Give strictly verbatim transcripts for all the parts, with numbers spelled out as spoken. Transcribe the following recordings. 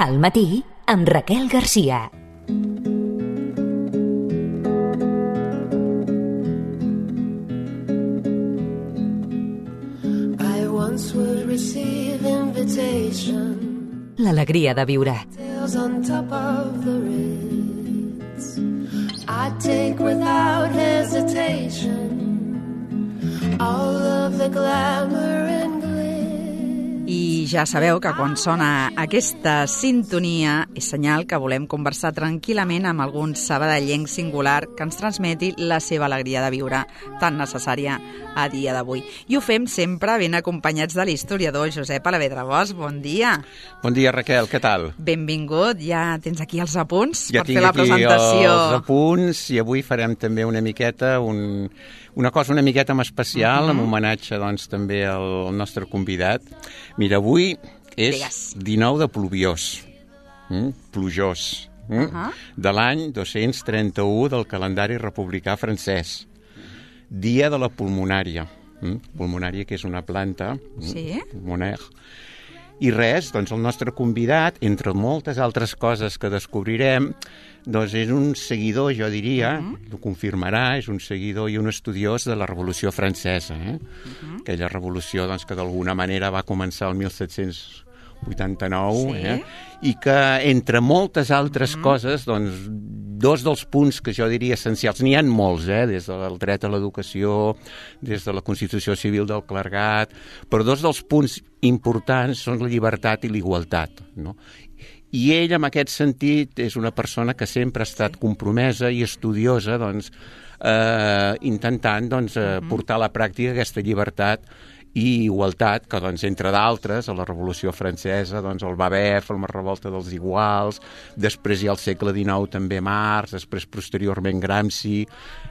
Al matí, amb Raquel Garcia. L'alegria de viure. I take without hesitation all of the glamour and glitter. I ja sabeu que quan sona aquesta sintonia és senyal que volem conversar tranquil·lament amb algun sabadellenc singular que ens transmeti la seva alegria de viure, tan necessària a dia d'avui. I ho fem sempre ben acompanyats de l'historiador Josep Alavedra Bosch. Bon dia. Bon dia, Raquel, què tal? Benvingut, ja tens aquí els apunts ja per fer la presentació. Ja tinc aquí els apunts i avui farem també una miqueta, un, una cosa una miqueta més especial, uh-huh. amb homenatge doncs, també al nostre convidat. Mira, avui és Digues. dinou de pluviós, mm? plujós, mm? Uh-huh. de l'any dos-cents trenta-u del calendari republicà francès. Dia de la pulmonària. Mm? Pulmonària, que és una planta. Sí. Pulmonaire. I res, doncs el nostre convidat, entre moltes altres coses que descobrirem, doncs és un seguidor, jo diria, uh-huh. ho confirmarà, és un seguidor i un estudiós de la Revolució Francesa. Eh? Uh-huh. Aquella revolució doncs, que d'alguna manera va començar el mil set-cents vuitanta-nou, sí. eh? i que, entre moltes altres uh-huh. coses, doncs, dos dels punts que jo diria essencials, n'hi ha molts, eh? des del dret a l'educació, des de la Constitució Civil del Clergat, però dos dels punts importants són la llibertat i l'igualtat, no? I ell, en aquest sentit, és una persona que sempre ha estat compromesa i estudiosa, doncs, eh, intentant doncs, eh, portar a la pràctica aquesta llibertat i igualtat, que, doncs, entre d'altres, a la Revolució Francesa, doncs, el va haver, la revolta dels iguals, després hi ha el segle dinou també Marx, després posteriorment Gramsci,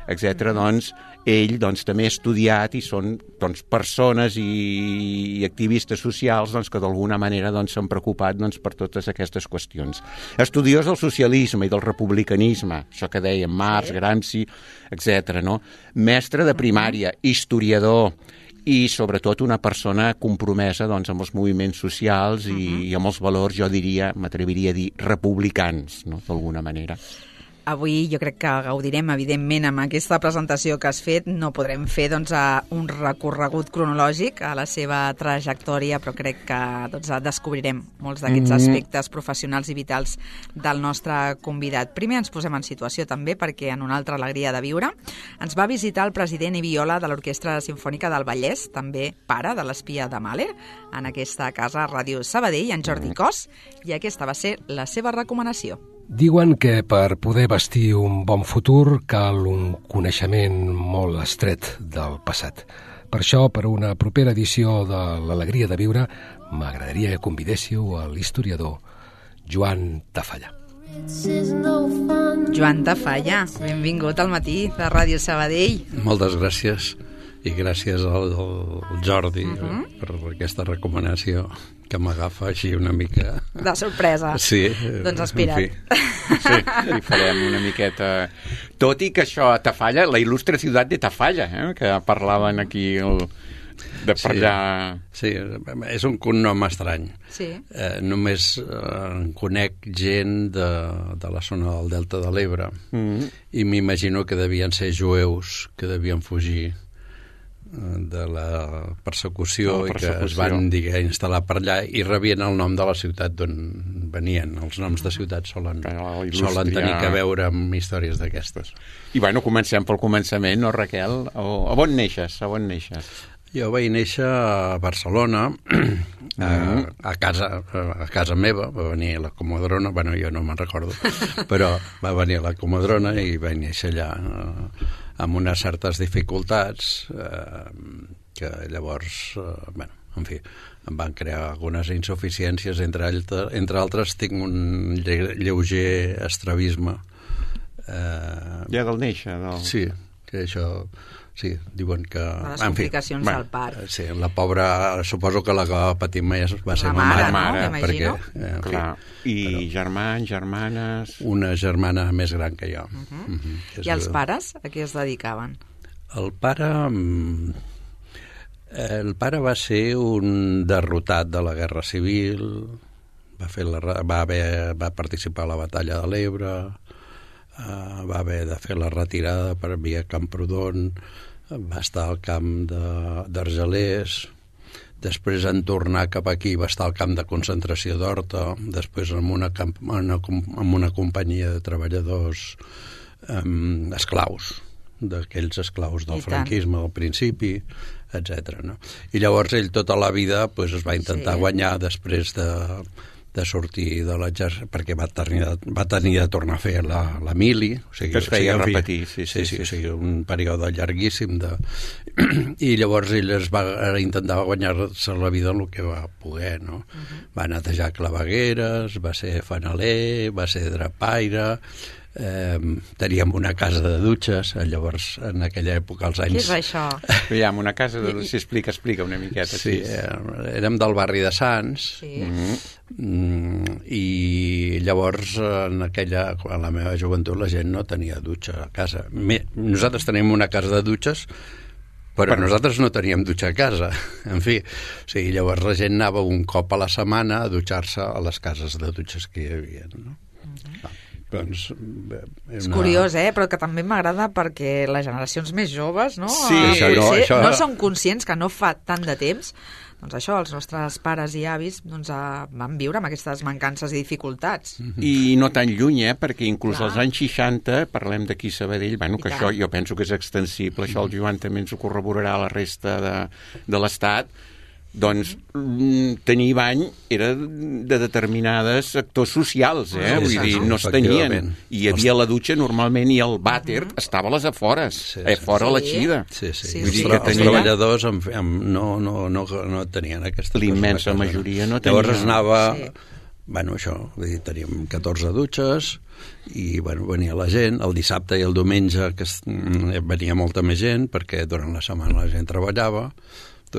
etcètera. Doncs, ell doncs, també ha estudiat i són doncs, persones i, i activistes socials doncs, que d'alguna manera doncs, s'han preocupat doncs, per totes aquestes qüestions. Estudiós del socialisme i del republicanisme, això que dèiem, Marx, Gramsci, etcètera. No? Mestre de primària, historiador, i sobretot una persona compromesa doncs, amb els moviments socials i, uh-huh. i amb els valors, jo diria, m'atreviria a dir, republicans, no? d'alguna manera. Avui jo crec que gaudirem, evidentment, amb aquesta presentació que has fet. No podrem fer doncs, un recorregut cronològic a la seva trajectòria, però crec que doncs, descobrirem molts d'aquests mm-hmm. aspectes professionals i vitals del nostre convidat. Primer ens posem en situació també, perquè en una altra alegria de viure ens va visitar el president i viola de l'Orquestra Simfònica del Vallès, també pare de l'espia de Mahler, en aquesta casa Ràdio Sabadell, en Jordi Cos, i aquesta va ser la seva recomanació. Diuen que per poder vestir un bon futur cal un coneixement molt estret del passat. Per això, per una propera edició de l'Alegria de Viure, m'agradaria que convidéssiu a l'historiador Joan Tafalla. Joan Tafalla, benvingut al matí de Ràdio Sabadell. Moltes gràcies i gràcies al, al Jordi uh-huh. per aquesta recomanació que m'agafa així una mica... De sorpresa. Sí. Doncs espera't. En fi. Sí, hi farem una miqueta... Tot i que això a Tafalla, la il·lustre ciutat de Tafalla, eh? que parlaven aquí el... de per allà... Sí, sí, és un cognom estrany. Sí. Eh, només eh, en conec gent de, de la zona del Delta de l'Ebre mm-hmm. i m'imagino que devien ser jueus que devien fugir de la persecució, la persecució i que es van diguer, instal·lar per allà i rebien el nom de la ciutat d'on venien. Els noms de ciutats solen, solen tenir que veure amb històries d'aquestes. I bueno, comencem pel començament, no, Raquel? O, a on neixes? A on neixes? Jo vaig néixer a Barcelona, a, a, casa, a casa meva, va venir la Comadrona, bueno, jo no me'n recordo, però va venir la Comadrona i vaig néixer allà amb unes certes dificultats eh, que llavors, eh, bueno, en fi, em van crear algunes insuficiències, entre, altre, entre altres tinc un lle lleuger estrabisme. Eh, ja del néixer? Del... Sí, que això... Sí, diuen que... Les complicacions fi, al part. Sí, la pobra, suposo que la que va patir més va ser la ma mare. mare, no? Perquè, eh, Clar. I però, germans, germanes... Una germana més gran que jo. Uh -huh. uh -huh. I els pares a què es dedicaven? El pare... El pare va ser un derrotat de la Guerra Civil, va, fer la, va, haver, va participar a la batalla de l'Ebre, uh, va haver de fer la retirada per via Camprodon, va estar al camp d'Argelers, després en tornar cap aquí va estar al camp de concentració d'Horta, després en una, camp, en una, en una companyia de treballadors um, esclaus, d'aquells esclaus del franquisme al principi, etcètera. No? I llavors ell tota la vida pues, es va intentar sí. guanyar després de, de sortir de l'exèrcit, perquè va tenir, va tenir de tornar a fer la, la mili. O sigui, que es feia o sigui, repetir. Sí, sí, sí, sí, sí, sí, un període llarguíssim. De... I llavors ell es va intentar guanyar-se la vida en el que va poder. No? Uh-huh. Va netejar clavegueres, va ser fanaler, va ser drapaire... Eh, teníem una casa de dutxes, llavors en aquella època als anys... Què és això? Veiem, una casa de dutxes, explica, explica una miqueta. Sí, eh, érem del barri de Sants, sí. mm, i llavors en aquella, en la meva joventut la gent no tenia dutxa a casa. Nosaltres tenim una casa de dutxes, però per... nosaltres no teníem dutxa a casa. En fi, o sigui, llavors la gent anava un cop a la setmana a dutxar-se a les cases de dutxes que hi havia, no? Uh-huh. Ah. Doncs, una... És curiós, eh? Però que també m'agrada perquè les generacions més joves no, sí, eh, això no, això... no són conscients que no fa tant de temps, doncs això, els nostres pares i avis doncs, van viure amb aquestes mancances i dificultats. I no tan lluny, eh? Perquè inclús Clar. als anys seixanta, parlem d'aquí a Sabadell, bueno, que I això tant. jo penso que és extensible, això el Joan també ens ho corroborarà a la resta de, de l'Estat, doncs tenir bany era de determinades sectors socials, eh? Vull dir, no es tenien. I hi havia la dutxa normalment i el vàter uh-huh. estava a les afores, sí, sí. eh, fora sí. la xida. Sí, sí. sí, Vull sí. dir que tenia... Els treballadors amb, amb, no, no, no, no tenien aquesta cosa. L'immensa majoria no tenia. Llavors anava... Sí. Bueno, això, vull dir, teníem catorze dutxes i, bueno, venia la gent. El dissabte i el diumenge que es, venia molta més gent perquè durant la setmana la gent treballava.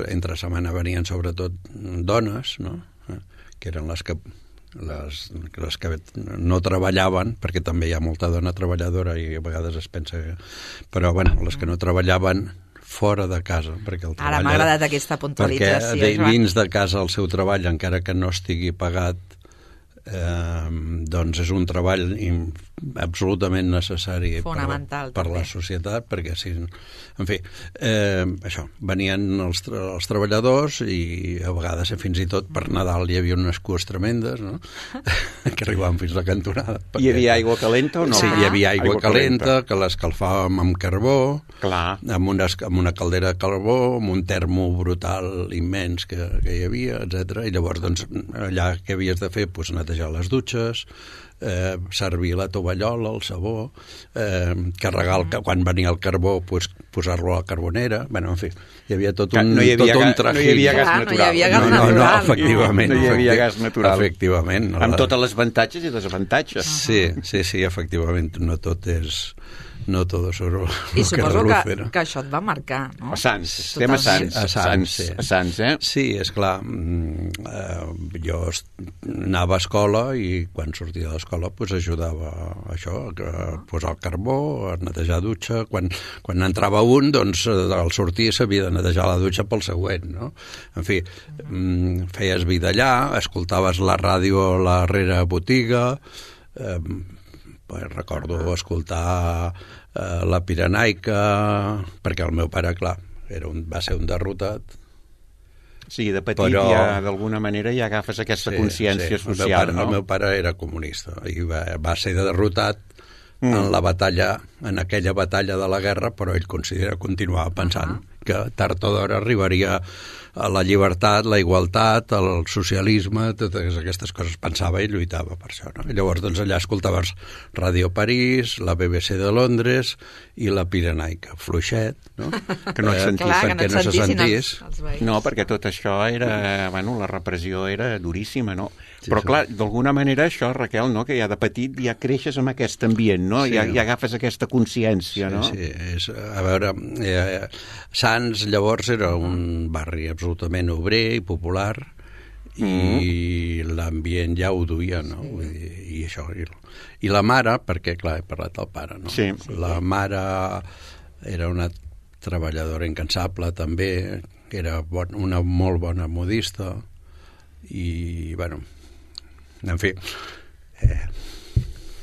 Entre setmana venien sobretot dones, no? Que eren les que, les, les que no treballaven, perquè també hi ha molta dona treballadora i a vegades es pensa que... Però, bueno, les que no treballaven fora de casa. Perquè el Ara m'ha agradat aquesta puntualització. Perquè dins de casa el seu treball, encara que no estigui pagat, eh, doncs és un treball absolutament necessari Fonamental, per, per la societat, perquè si, en fi, eh, això, venien els, els treballadors i a vegades fins i tot per Nadal hi havia unes cues tremendes, no? que arribaven fins a la cantonada. Perquè... Hi havia aigua calenta o no? Sí, hi havia aigua, aigua calenta, calenta, que l'escalfàvem amb carbó, Clar. Amb, una, amb una caldera de carbó, amb un termo brutal immens que, que hi havia, etcètera. I llavors, doncs, allà què havies de fer? Pues netejar les dutxes, eh, servir la tovallola, el sabó, eh, carregar el, quan venia el carbó, pues, posar-lo a la carbonera, bueno, en fi, hi havia tot un, no hi havia tot un trajín. No hi havia gas Clar, natural. No hi havia gas no, no, natural. No, efectivament. No hi havia gas natural. Efectivament. No, amb totes les avantatges i desavantatges. Sí, sí, sí, efectivament, no tot és... No tot és oro. I suposo que, que això et va marcar, no? A Sants, estem a Sants. A Sants, sí. A Sants, eh? Sí, és clar. Eh, jo anava a escola i quan sortia de l'escola pues, ajudava a això, a posar el carbó, a netejar la dutxa. Quan, quan entrava un, doncs, al sortir s'havia de netejar la dutxa pel següent, no? En fi, uh-huh. feies vida allà, escoltaves la ràdio a la darrere botiga, eh, recordo escoltar eh, la Pirenaica, perquè el meu pare, clar, era un, va ser un derrotat. Sí, de petit però... ja, d'alguna manera, ja agafes aquesta sí, consciència sí. social, el meu pare, no? El meu pare era comunista i va, va ser derrotat mm. en la batalla, en aquella batalla de la guerra, però ell considera, continuava pensant uh-huh. que tard o d'hora arribaria a la llibertat, la igualtat, el socialisme, totes aquestes coses pensava i lluitava per això, no? I llavors doncs allà escoltaves Ràdio París, la B B C de Londres i la Pirenaica, fluixet, no? Que no es sentís, Clar, perquè que no, no se sentís. Els, els no, perquè tot això era, bueno, la repressió era duríssima, no? Sí, Però sí. clar, d'alguna manera això, Raquel, no? Que ja de petit ja creixes amb aquest ambient, no? Sí. Ja, ja agafes aquesta consciència, no? Sí, sí. És, a veure, eh, Sants llavors era un barri absolutament obrer i popular i mm. l'ambient ja ho duia, no? Sí. I, i això, i, i la mare, perquè clar, he parlat del pare, no? Sí. La mare era una treballadora incansable també, que era bon, una molt bona modista i, bueno, en fi... Eh,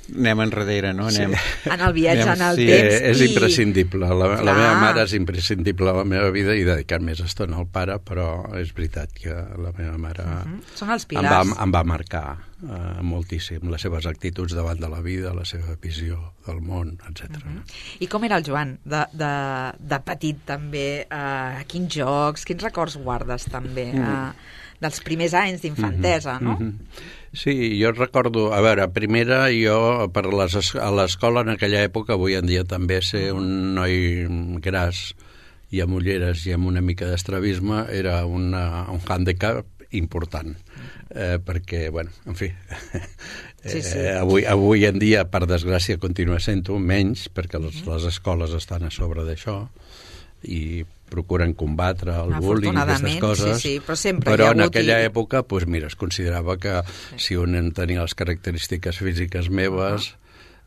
anem enrere, no? Anem... Sí. En el viatge, anem... en el sí, temps. És i... imprescindible. La, la meva mare és imprescindible a la meva vida i dedicar més estona al pare, però és veritat que la meva mare uh-huh. Són els em pilars. va, em va marcar uh, moltíssim les seves actituds davant de la vida, la seva visió del món, etcètera. Uh-huh. I com era el Joan, de, de, de petit també? Uh, quins jocs, quins records guardes també? Uh, dels primers anys d'infantesa, uh-huh. no? Uh-huh. Sí, jo recordo, a veure, primera jo per les, a l'escola en aquella època, avui en dia també ser un noi gras i amb ulleres i amb una mica d'estrabisme era una, un handicap important, eh, perquè, bueno, en fi, sí, sí. Eh, avui, avui en dia, per desgràcia, continua sent-ho, menys, perquè les, les escoles estan a sobre d'això i procuren combatre el bullying i aquestes coses, sí, sí, però, sempre però hi ha en hagut aquella i... època pues, mira, es considerava que si un en tenia les característiques físiques meves,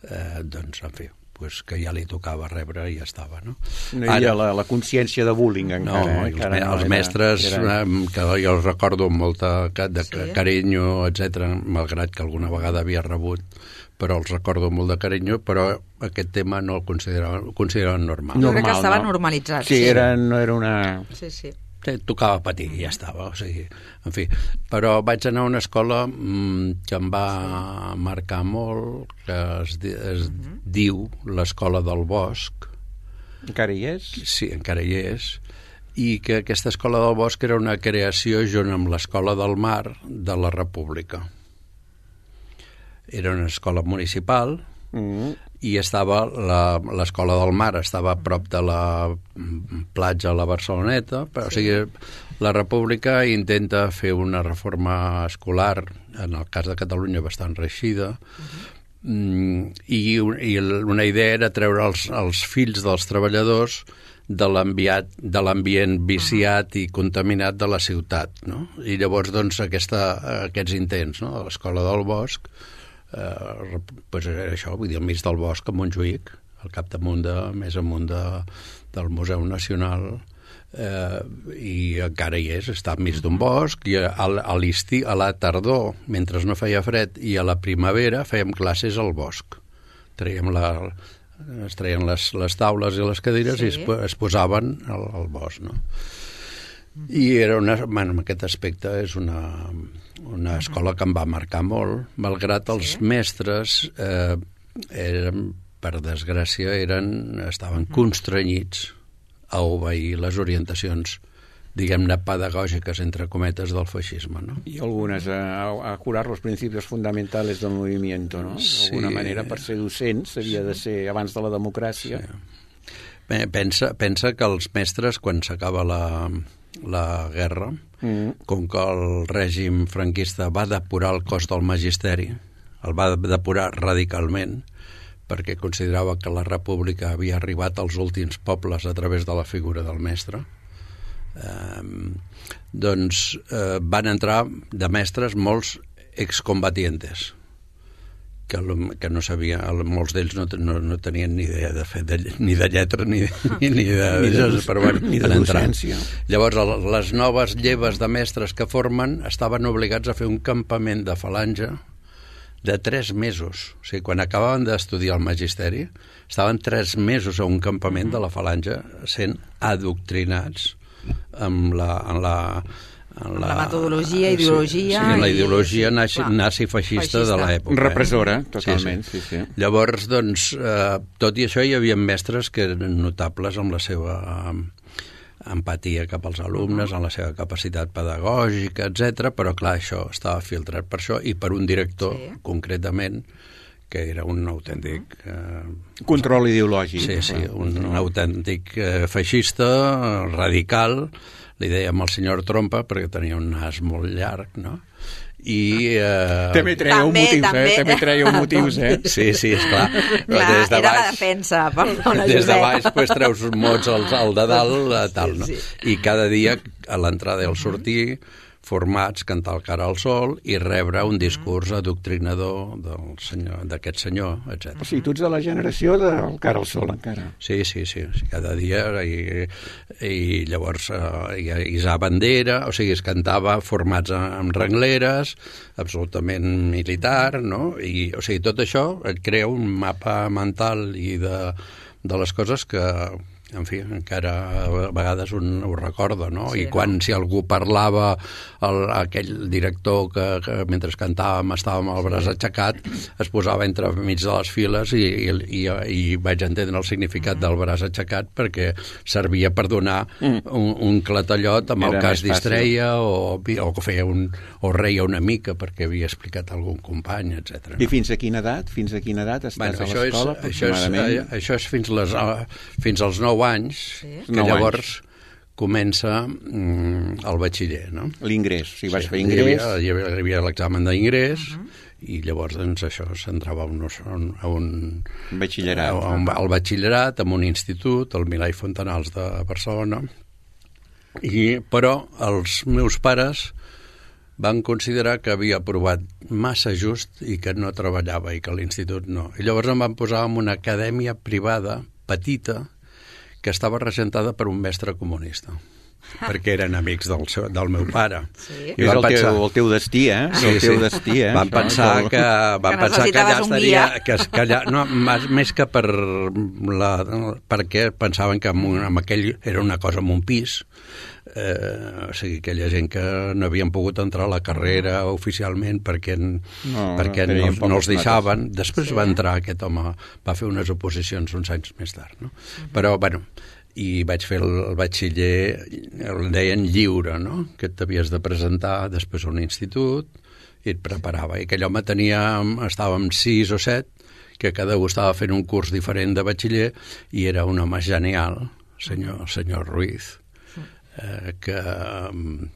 eh, doncs, en fi, pues, que ja li tocava rebre i ja estava, no? No hi havia la, la consciència de bullying encara. No, eh? els, encara no, els era, mestres, era... que jo els recordo amb molta de sí. carinyo, etcètera, malgrat que alguna vegada havia rebut, però els recordo molt de carinyo, però aquest tema no el consideraven, el consideraven normal. Jo crec que estava no? normalitzat. Sí, sí. Era, no era una... Sí, sí. Tocava patir i ja estava, o sigui, en fi. Però vaig anar a una escola mmm, que em va marcar molt, que es, es uh-huh. diu l'Escola del Bosc. Encara hi és? Sí, encara hi és. I que aquesta Escola del Bosc era una creació junt amb l'Escola del Mar de la República. Era una escola municipal mm. i estava l'Escola del Mar estava a prop de la platja a la Barceloneta, però, sí. o sigui, la República intenta fer una reforma escolar, en el cas de Catalunya bastant reeixida, uh-huh. i, i una idea era treure els, els fills dels treballadors de l'ambient viciat uh-huh. i contaminat de la ciutat, no? I llavors, doncs, aquesta, aquests intents, no?, de l'Escola del Bosc, eh, pues era això, vull dir, al mig del bosc a Montjuïc, al capdamunt de, més amunt de, del Museu Nacional, eh, i encara hi és, està enmig d'un bosc, i a, a l'estiu, a la tardor, mentre no feia fred, i a la primavera fèiem classes al bosc. Traiem la, es treien les, les taules i les cadires sí. i es, es posaven al, al bosc, no? I era una, bueno, en aquest aspecte és una, una escola que em va marcar molt, malgrat els sí. mestres eh, eren, per desgràcia, eren, estaven constrenyits a obeir les orientacions, diguem-ne, pedagògiques, entre cometes, del feixisme, no? I algunes a, a curar los principios fundamentales del movimiento, no? D'alguna sí. manera, per ser docent, s'havia de ser abans de la democràcia. Sí. Bé, pensa, pensa que els mestres, quan s'acaba la, la guerra, mm. com que el règim franquista va depurar el cos del magisteri, el va depurar radicalment, perquè considerava que la república havia arribat als últims pobles a través de la figura del mestre, eh, doncs eh, van entrar de mestres molts excombatientes, que, que no sabia, molts d'ells no, no, no tenien ni idea de fer de, ni de lletra ni, ni, ni de, ni de, però, bueno, ni de docència. Llavors les noves lleves de mestres que formen estaven obligats a fer un campament de falange de tres mesos. O sigui, quan acabaven d'estudiar el magisteri, estaven tres mesos a un campament de la falange sent adoctrinats amb la, en la, en la, la metodologia, ideologia... Sí, sí, la ideologia i, nazi, nazi-feixista de l'època. Repressora, eh? Totalment. Sí, sí. Sí, sí. Llavors, doncs, eh, tot i això, hi havia mestres que eren notables amb la seva empatia cap als alumnes, en la seva capacitat pedagògica, etcètera, però, clar, això estava filtrat per això i per un director, sí. concretament, que era un autèntic... Eh, control ideològic. Sí, sí, un, un autèntic eh, feixista, radical, li dèiem el senyor Trompa, perquè tenia un nas molt llarg, no? I... Eh... També treia un motius, també. eh? També treia un motius, eh? Sí, sí, esclar. Clar, des de baix, era la defensa, perdona, des de baix, pues, treus mots al, al de dalt, tal, no? I cada dia, a l'entrada i al sortir, formats, cantar el cara al sol i rebre un discurs adoctrinador del senyor, d'aquest senyor, etcètera. O sigui, tu ets de la generació del cara al sol, encara. Sí, sí, sí, cada dia, i, i llavors eh, hi ha Isar Bandera, o sigui, es cantava formats amb rengleres, absolutament militar, no? I, o sigui, tot això et crea un mapa mental i de, de les coses que, en fi, encara a vegades un ho recorda, no? Sí, I quan, no? si algú parlava, el, aquell director que, que mentre cantàvem estava amb el braç aixecat, es posava entre mig de les files i, i, i, i vaig entendre el significat mm. del braç aixecat perquè servia per donar mm. un, un clatallot amb el que es distreia o, o feia un, o reia una mica perquè havia explicat algun company, etcètera. I fins a quina edat? Fins a quina edat estàs bueno, a l'escola, és, aproximadament? Això és, això és fins, les, fins als nou anys, sí. que nou llavors anys. Comença mm, el batxiller, no? L'ingrés, o sigui, vas sí, fer ingrés. Hi havia, hi havia, hi havia l'examen d'ingrés uh -huh. i llavors doncs, això s'entrava a un, a un batxillerat. A un, al batxillerat, en un institut, el Milà i Fontanals de Barcelona, i, però els meus pares van considerar que havia aprovat massa just i que no treballava i que l'institut no. I llavors em van posar en una acadèmia privada, petita, que estava regentada per un mestre comunista, perquè eren amics del, seu, del meu pare. Sí. I és el, pensar... teu, el teu destí, eh? Sí, el teu sí. destí, eh? Van pensar que, van que pensar que allà estaria... Que, que allà, no, més que per la, perquè pensaven que amb, un, amb aquell era una cosa amb un pis, eh, o sigui, aquella gent que no havien pogut entrar a la carrera oficialment perquè, no, perquè no, no, no els deixaven. Mates. Després sí. va entrar aquest home, va fer unes oposicions uns anys més tard, no? Uh-huh. Però, bueno, i vaig fer el, el batxiller, el deien lliure, no? Que t'havies de presentar després a un institut i et preparava. I aquell home tenia, estàvem sis o set, que cada un estava fent un curs diferent de batxiller i era un home genial, senyor, el senyor Ruiz, eh, que eh,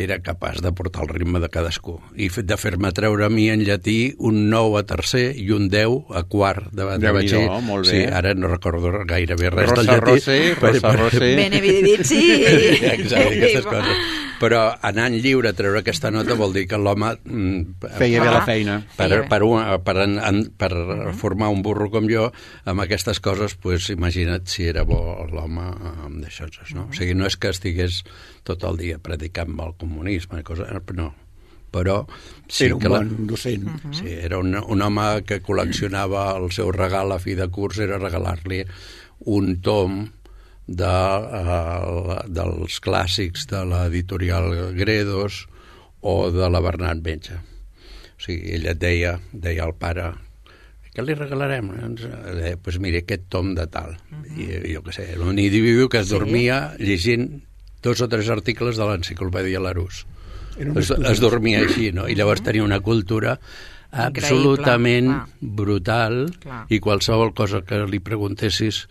era capaç de portar el ritme de cadascú i de fer-me treure a mi en llatí un nou a tercer i un deu a quart de, de batxiller. No, molt bé. Sí, ara no recordo gairebé res Rosa del llatí. Rosé, Rosa Rosé. Bene vidivici. Exacte, aquestes coses. Però anant lliure a treure aquesta nota vol dir que l'home feia bé la feina. Per, per, un, per, en, per uh-huh. formar un burro com jo, amb aquestes coses, pues, imagina't si era bo l'home amb d'això. No? Uh-huh. O sigui, no és que estigués tot el dia predicant el comunisme, cosa, no. Però sí era un que bon la, docent. Uh-huh. Sí, era un, un home que col·leccionava el seu regal a fi de curs, era regalar-li un tom de, uh, dels clàssics de l'editorial Gredos o de la Bernat Metge. O sigui, ella et deia, deia al pare, què li regalarem? Deia, pues mira, aquest tom de tal. Uh-huh. I jo què sé, era un individu que es dormia sí. llegint dos o tres articles de l'enciclopèdia Larousse. Es, es dormia així, no? I llavors tenia una cultura absolutament Increïble, brutal clar. I qualsevol cosa que li preguntessis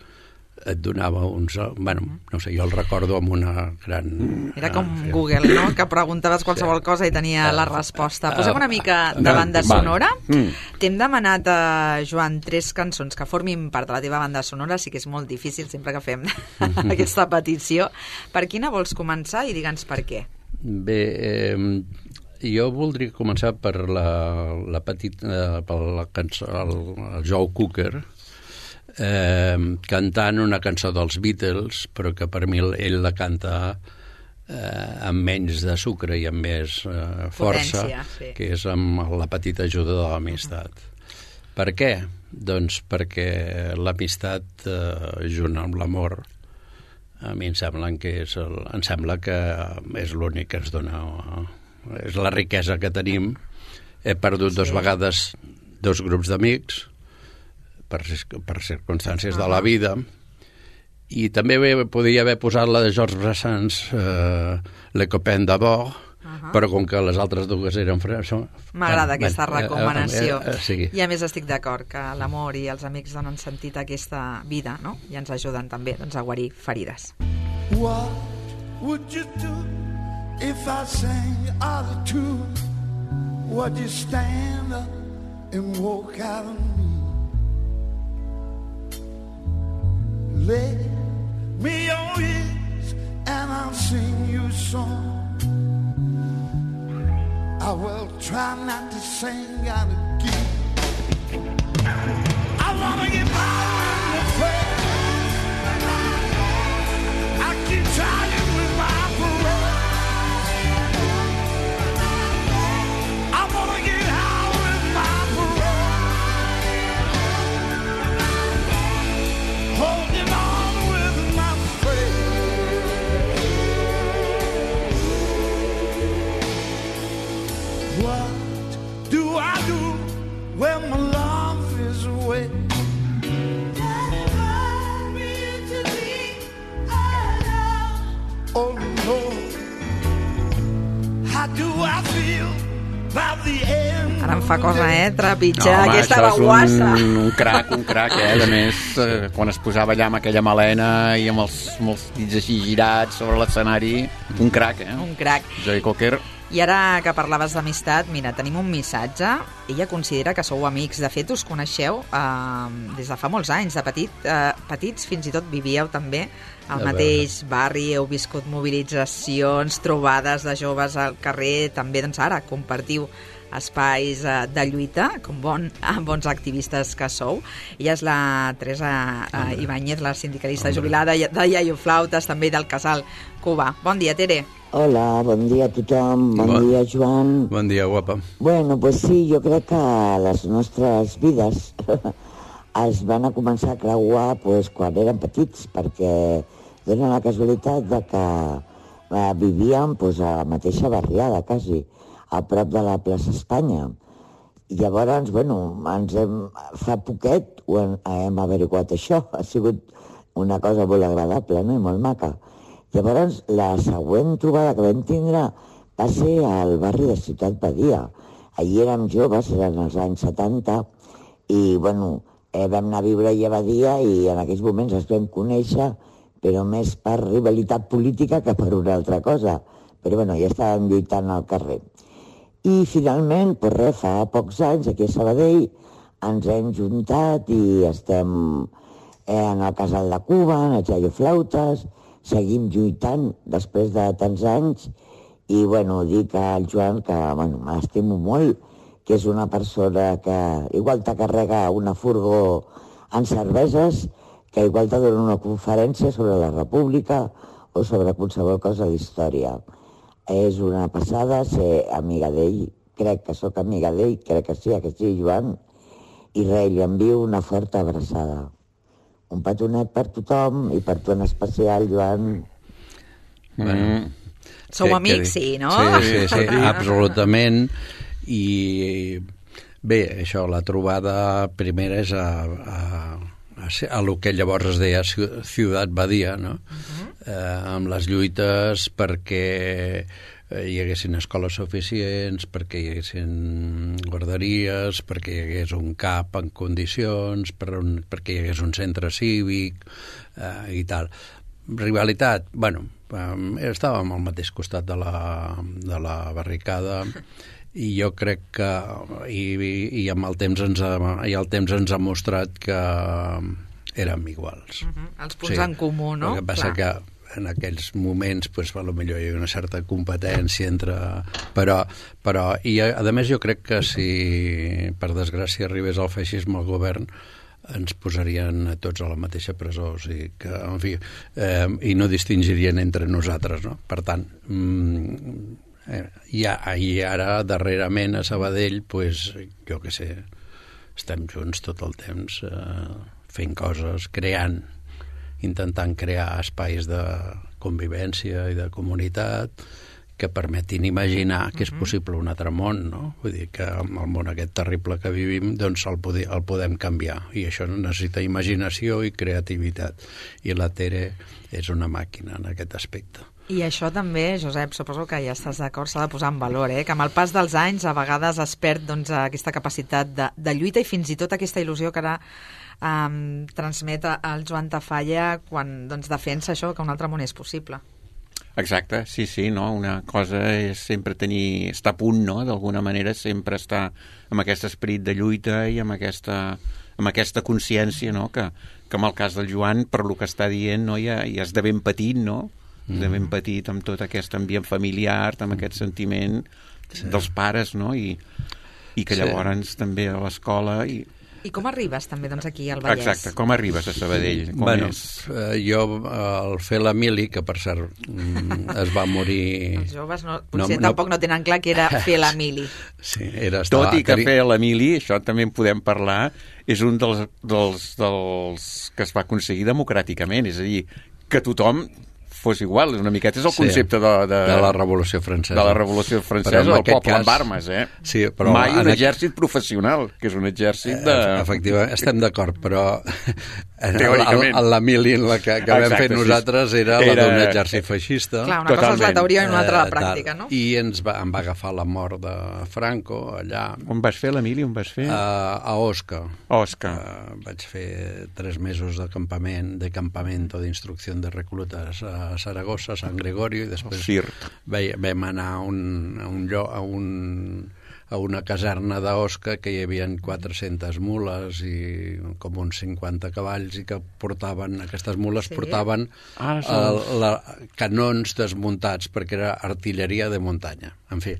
et donava uns... Bueno, no sé, jo el recordo amb una gran... Era com uh, Google, no?, que preguntaves qualsevol sí. cosa i tenia uh, la resposta. Posem una mica de banda sonora. Mm. T'hem demanat, uh, Joan, tres cançons que formin part de la teva banda sonora, sí que és molt difícil sempre que fem aquesta petició. Per quina vols començar i digue'ns per què? Bé, eh, jo voldria començar per la, la petita... Eh, per la cançó, el, el Joe Cooker, Eh, cantant una cançó dels Beatles, però que per mi ell la canta eh, amb menys de sucre i amb més eh, força, Potència, sí. que és amb la petita ajuda de l'amistat. Uh-huh. Per què? Doncs perquè l'amistat eh, junt amb l'amor a mi em sembla que és, el, em sembla que és l'únic que ens dona, és la riquesa que tenim. He perdut sí. dos vegades dos grups d'amics per, per circumstàncies uh-huh. de la vida, i també podia haver posat la de Georges Brassens, eh, Le Copain d'abord, uh-huh. però com que les altres dues eren franceses... M'agrada aquesta ben, recomanació. Eh, eh, eh, sí. I a més estic d'acord que l'amor i els amics donen sentit a aquesta vida, no? I ens ajuden també doncs, a guarir ferides. What would you do if I sang out of tune? Would you stand up and walk out on me? Lay me your ears and I'll sing you a song. I will try not to sing out of key. I wanna get by with the faith. I keep trying with my parole. I wanna get high with my parole. Holding on with my faith. What do I do when my love is away? Oh no, how do I feel about the end? Ara em fa cosa, eh, trepitjar home, aquesta això és baguassa. un, un crac, un crac, eh? A més, eh, quan es posava allà amb aquella melena i amb els, amb els dits així girats sobre l'escenari, un crac, eh? Un crac. Joey Cocker. I ara que parlaves d'amistat, mira, tenim un missatge. Ella considera que sou amics. De fet, us coneixeu eh, des de fa molts anys. De petit, eh, petits fins i tot vivíeu també al mateix barri, heu viscut mobilitzacions, trobades de joves al carrer, també doncs ara compartiu espais eh, de lluita, com bon, bons activistes que sou. Ella és la Teresa eh, Ibáñez, la sindicalista Hombre. jubilada de Iaio Flautes, també del Casal Cubà. Bon dia, Tere. Hola, bon dia a tothom, bon, bon dia, Joan. Bon dia, guapa. Bueno, pues sí, jo crec que les nostres vides es van a començar a creuar pues, quan érem petits, perquè dona la casualitat de que eh, vivíem pues, a la mateixa barriada, quasi, a prop de la plaça Espanya. I llavors, bueno, ens hem, fa poquet ho hem, hem averiguat això. Ha sigut una cosa molt agradable, no?, i molt maca. Llavors, la següent trobada que vam tindre va ser al barri de Ciutat Badia. Allí érem joves, eren els anys setanta, i, bueno, eh, vam anar a viure allà a Badia i en aquells moments ens vam conèixer, però més per rivalitat política que per una altra cosa. Però, bueno, ja estàvem lluitant al carrer. I, finalment, pues res, fa pocs anys, aquí a Sabadell, ens hem juntat i estem eh, en el Casal de Cuba, en el Iaio Flautes, seguim lluitant després de tants anys i, bueno, dic al Joan que, bueno, m'estimo molt, que és una persona que igual te carrega una furgó en cerveses, que igual te dona una conferència sobre la República o sobre qualsevol cosa d'història. És una passada ser amiga d'ell, crec que sóc amiga d'ell, crec que sí, que sí, Joan, i res, li envio una forta abraçada. Un petonet per tothom i per tu en especial, Joan. Bueno, Sou que, amics, que, sí, no? Sí, sí, sí, absolutament. I bé, això, la trobada primera és a, a, a, a lo que llavors es deia Ciutat Badia, no? Uh-huh. eh, amb les lluites perquè hi haguessin escoles suficients, perquè hi haguessin guarderies, perquè hi hagués un CAP en condicions, per un, perquè hi hagués un centre cívic eh, i tal. Rivalitat, bueno, eh, estàvem al mateix costat de la, de la barricada i jo crec que i, i, i amb el temps ens ha, i el temps ens ha mostrat que érem iguals. Uh-huh. Els punts sí, en comú, no? El que passa Clar. que en aquells moments pues, a lo millor hi ha una certa competència entre... Però, però i a, a més jo crec que si per desgràcia arribés el feixisme al govern ens posarien a tots a la mateixa presó, o sigui que, en fi, eh, i no distingirien entre nosaltres, no? Per tant, mm, eh, i, i ara darrerament a Sabadell, pues, jo què sé, estem junts tot el temps eh, fent coses, creant, intentant crear espais de convivència i de comunitat que permetin imaginar que és possible un altre món, no? Vull dir que amb el món aquest terrible que vivim doncs el, podi, el podem canviar i això necessita imaginació i creativitat i la Tere és una màquina en aquest aspecte. I això també, Josep, suposo que ja estàs d'acord, s'ha de posar en valor, eh? Que amb el pas dels anys a vegades es perd doncs, aquesta capacitat de, de lluita i fins i tot aquesta il·lusió que ara um, transmet el Joan Tafalla quan doncs, defensa això, que un altre món és possible. Exacte, sí, sí, no? Una cosa és sempre tenir, estar a punt, no? D'alguna manera sempre estar amb aquest esperit de lluita i amb aquesta, amb aquesta consciència, no? Que, que en el cas del Joan, per lo que està dient, no? Ja, ja és de ben petit, no? Mm. De ben petit, amb tot aquest ambient familiar, amb aquest sentiment sí. dels pares, no? I, i que llavors sí. també a l'escola... I... I com arribes també doncs, aquí al Vallès? Exacte, com arribes a Sabadell? Com bueno, és? Eh, jo al fer la mili, que per cert es va morir... Els joves no, potser no, tampoc no... no tenen clar que era fer la mili. Sí, era estar... Tot i que fer la mili, això també en podem parlar, és un dels, dels, dels que es va aconseguir democràticament, és a dir, que tothom fos igual, una miqueta és el concepte sí, de, de, de la Revolució Francesa. De la Revolució Francesa, del poble cas... amb armes, eh? Sí, però mai un en... exèrcit professional, que és un exèrcit de... Efectivament, estem d'acord, però teòricament la mili en la que, que vam fer nosaltres era, era la d'un exèrcit feixista. Clar, una Totalment. cosa és la teoria i una altra la pràctica, no? I ens va, em va agafar la mort de Franco allà. On vas fer la mili? On vas fer? Uh, a Osca. Osca. Uh, vaig fer tres mesos de campament, de campamento d'instrucció de reclutes a Saragossa, a Sant Gregorio, i després vam anar a un, a un lloc, a un a una caserna d'Osca que hi havia quatre-centes mules i com uns cinquanta cavalls i que portaven, aquestes mules sí. portaven ah, el, la, canons desmuntats perquè era artilleria de muntanya. En fi,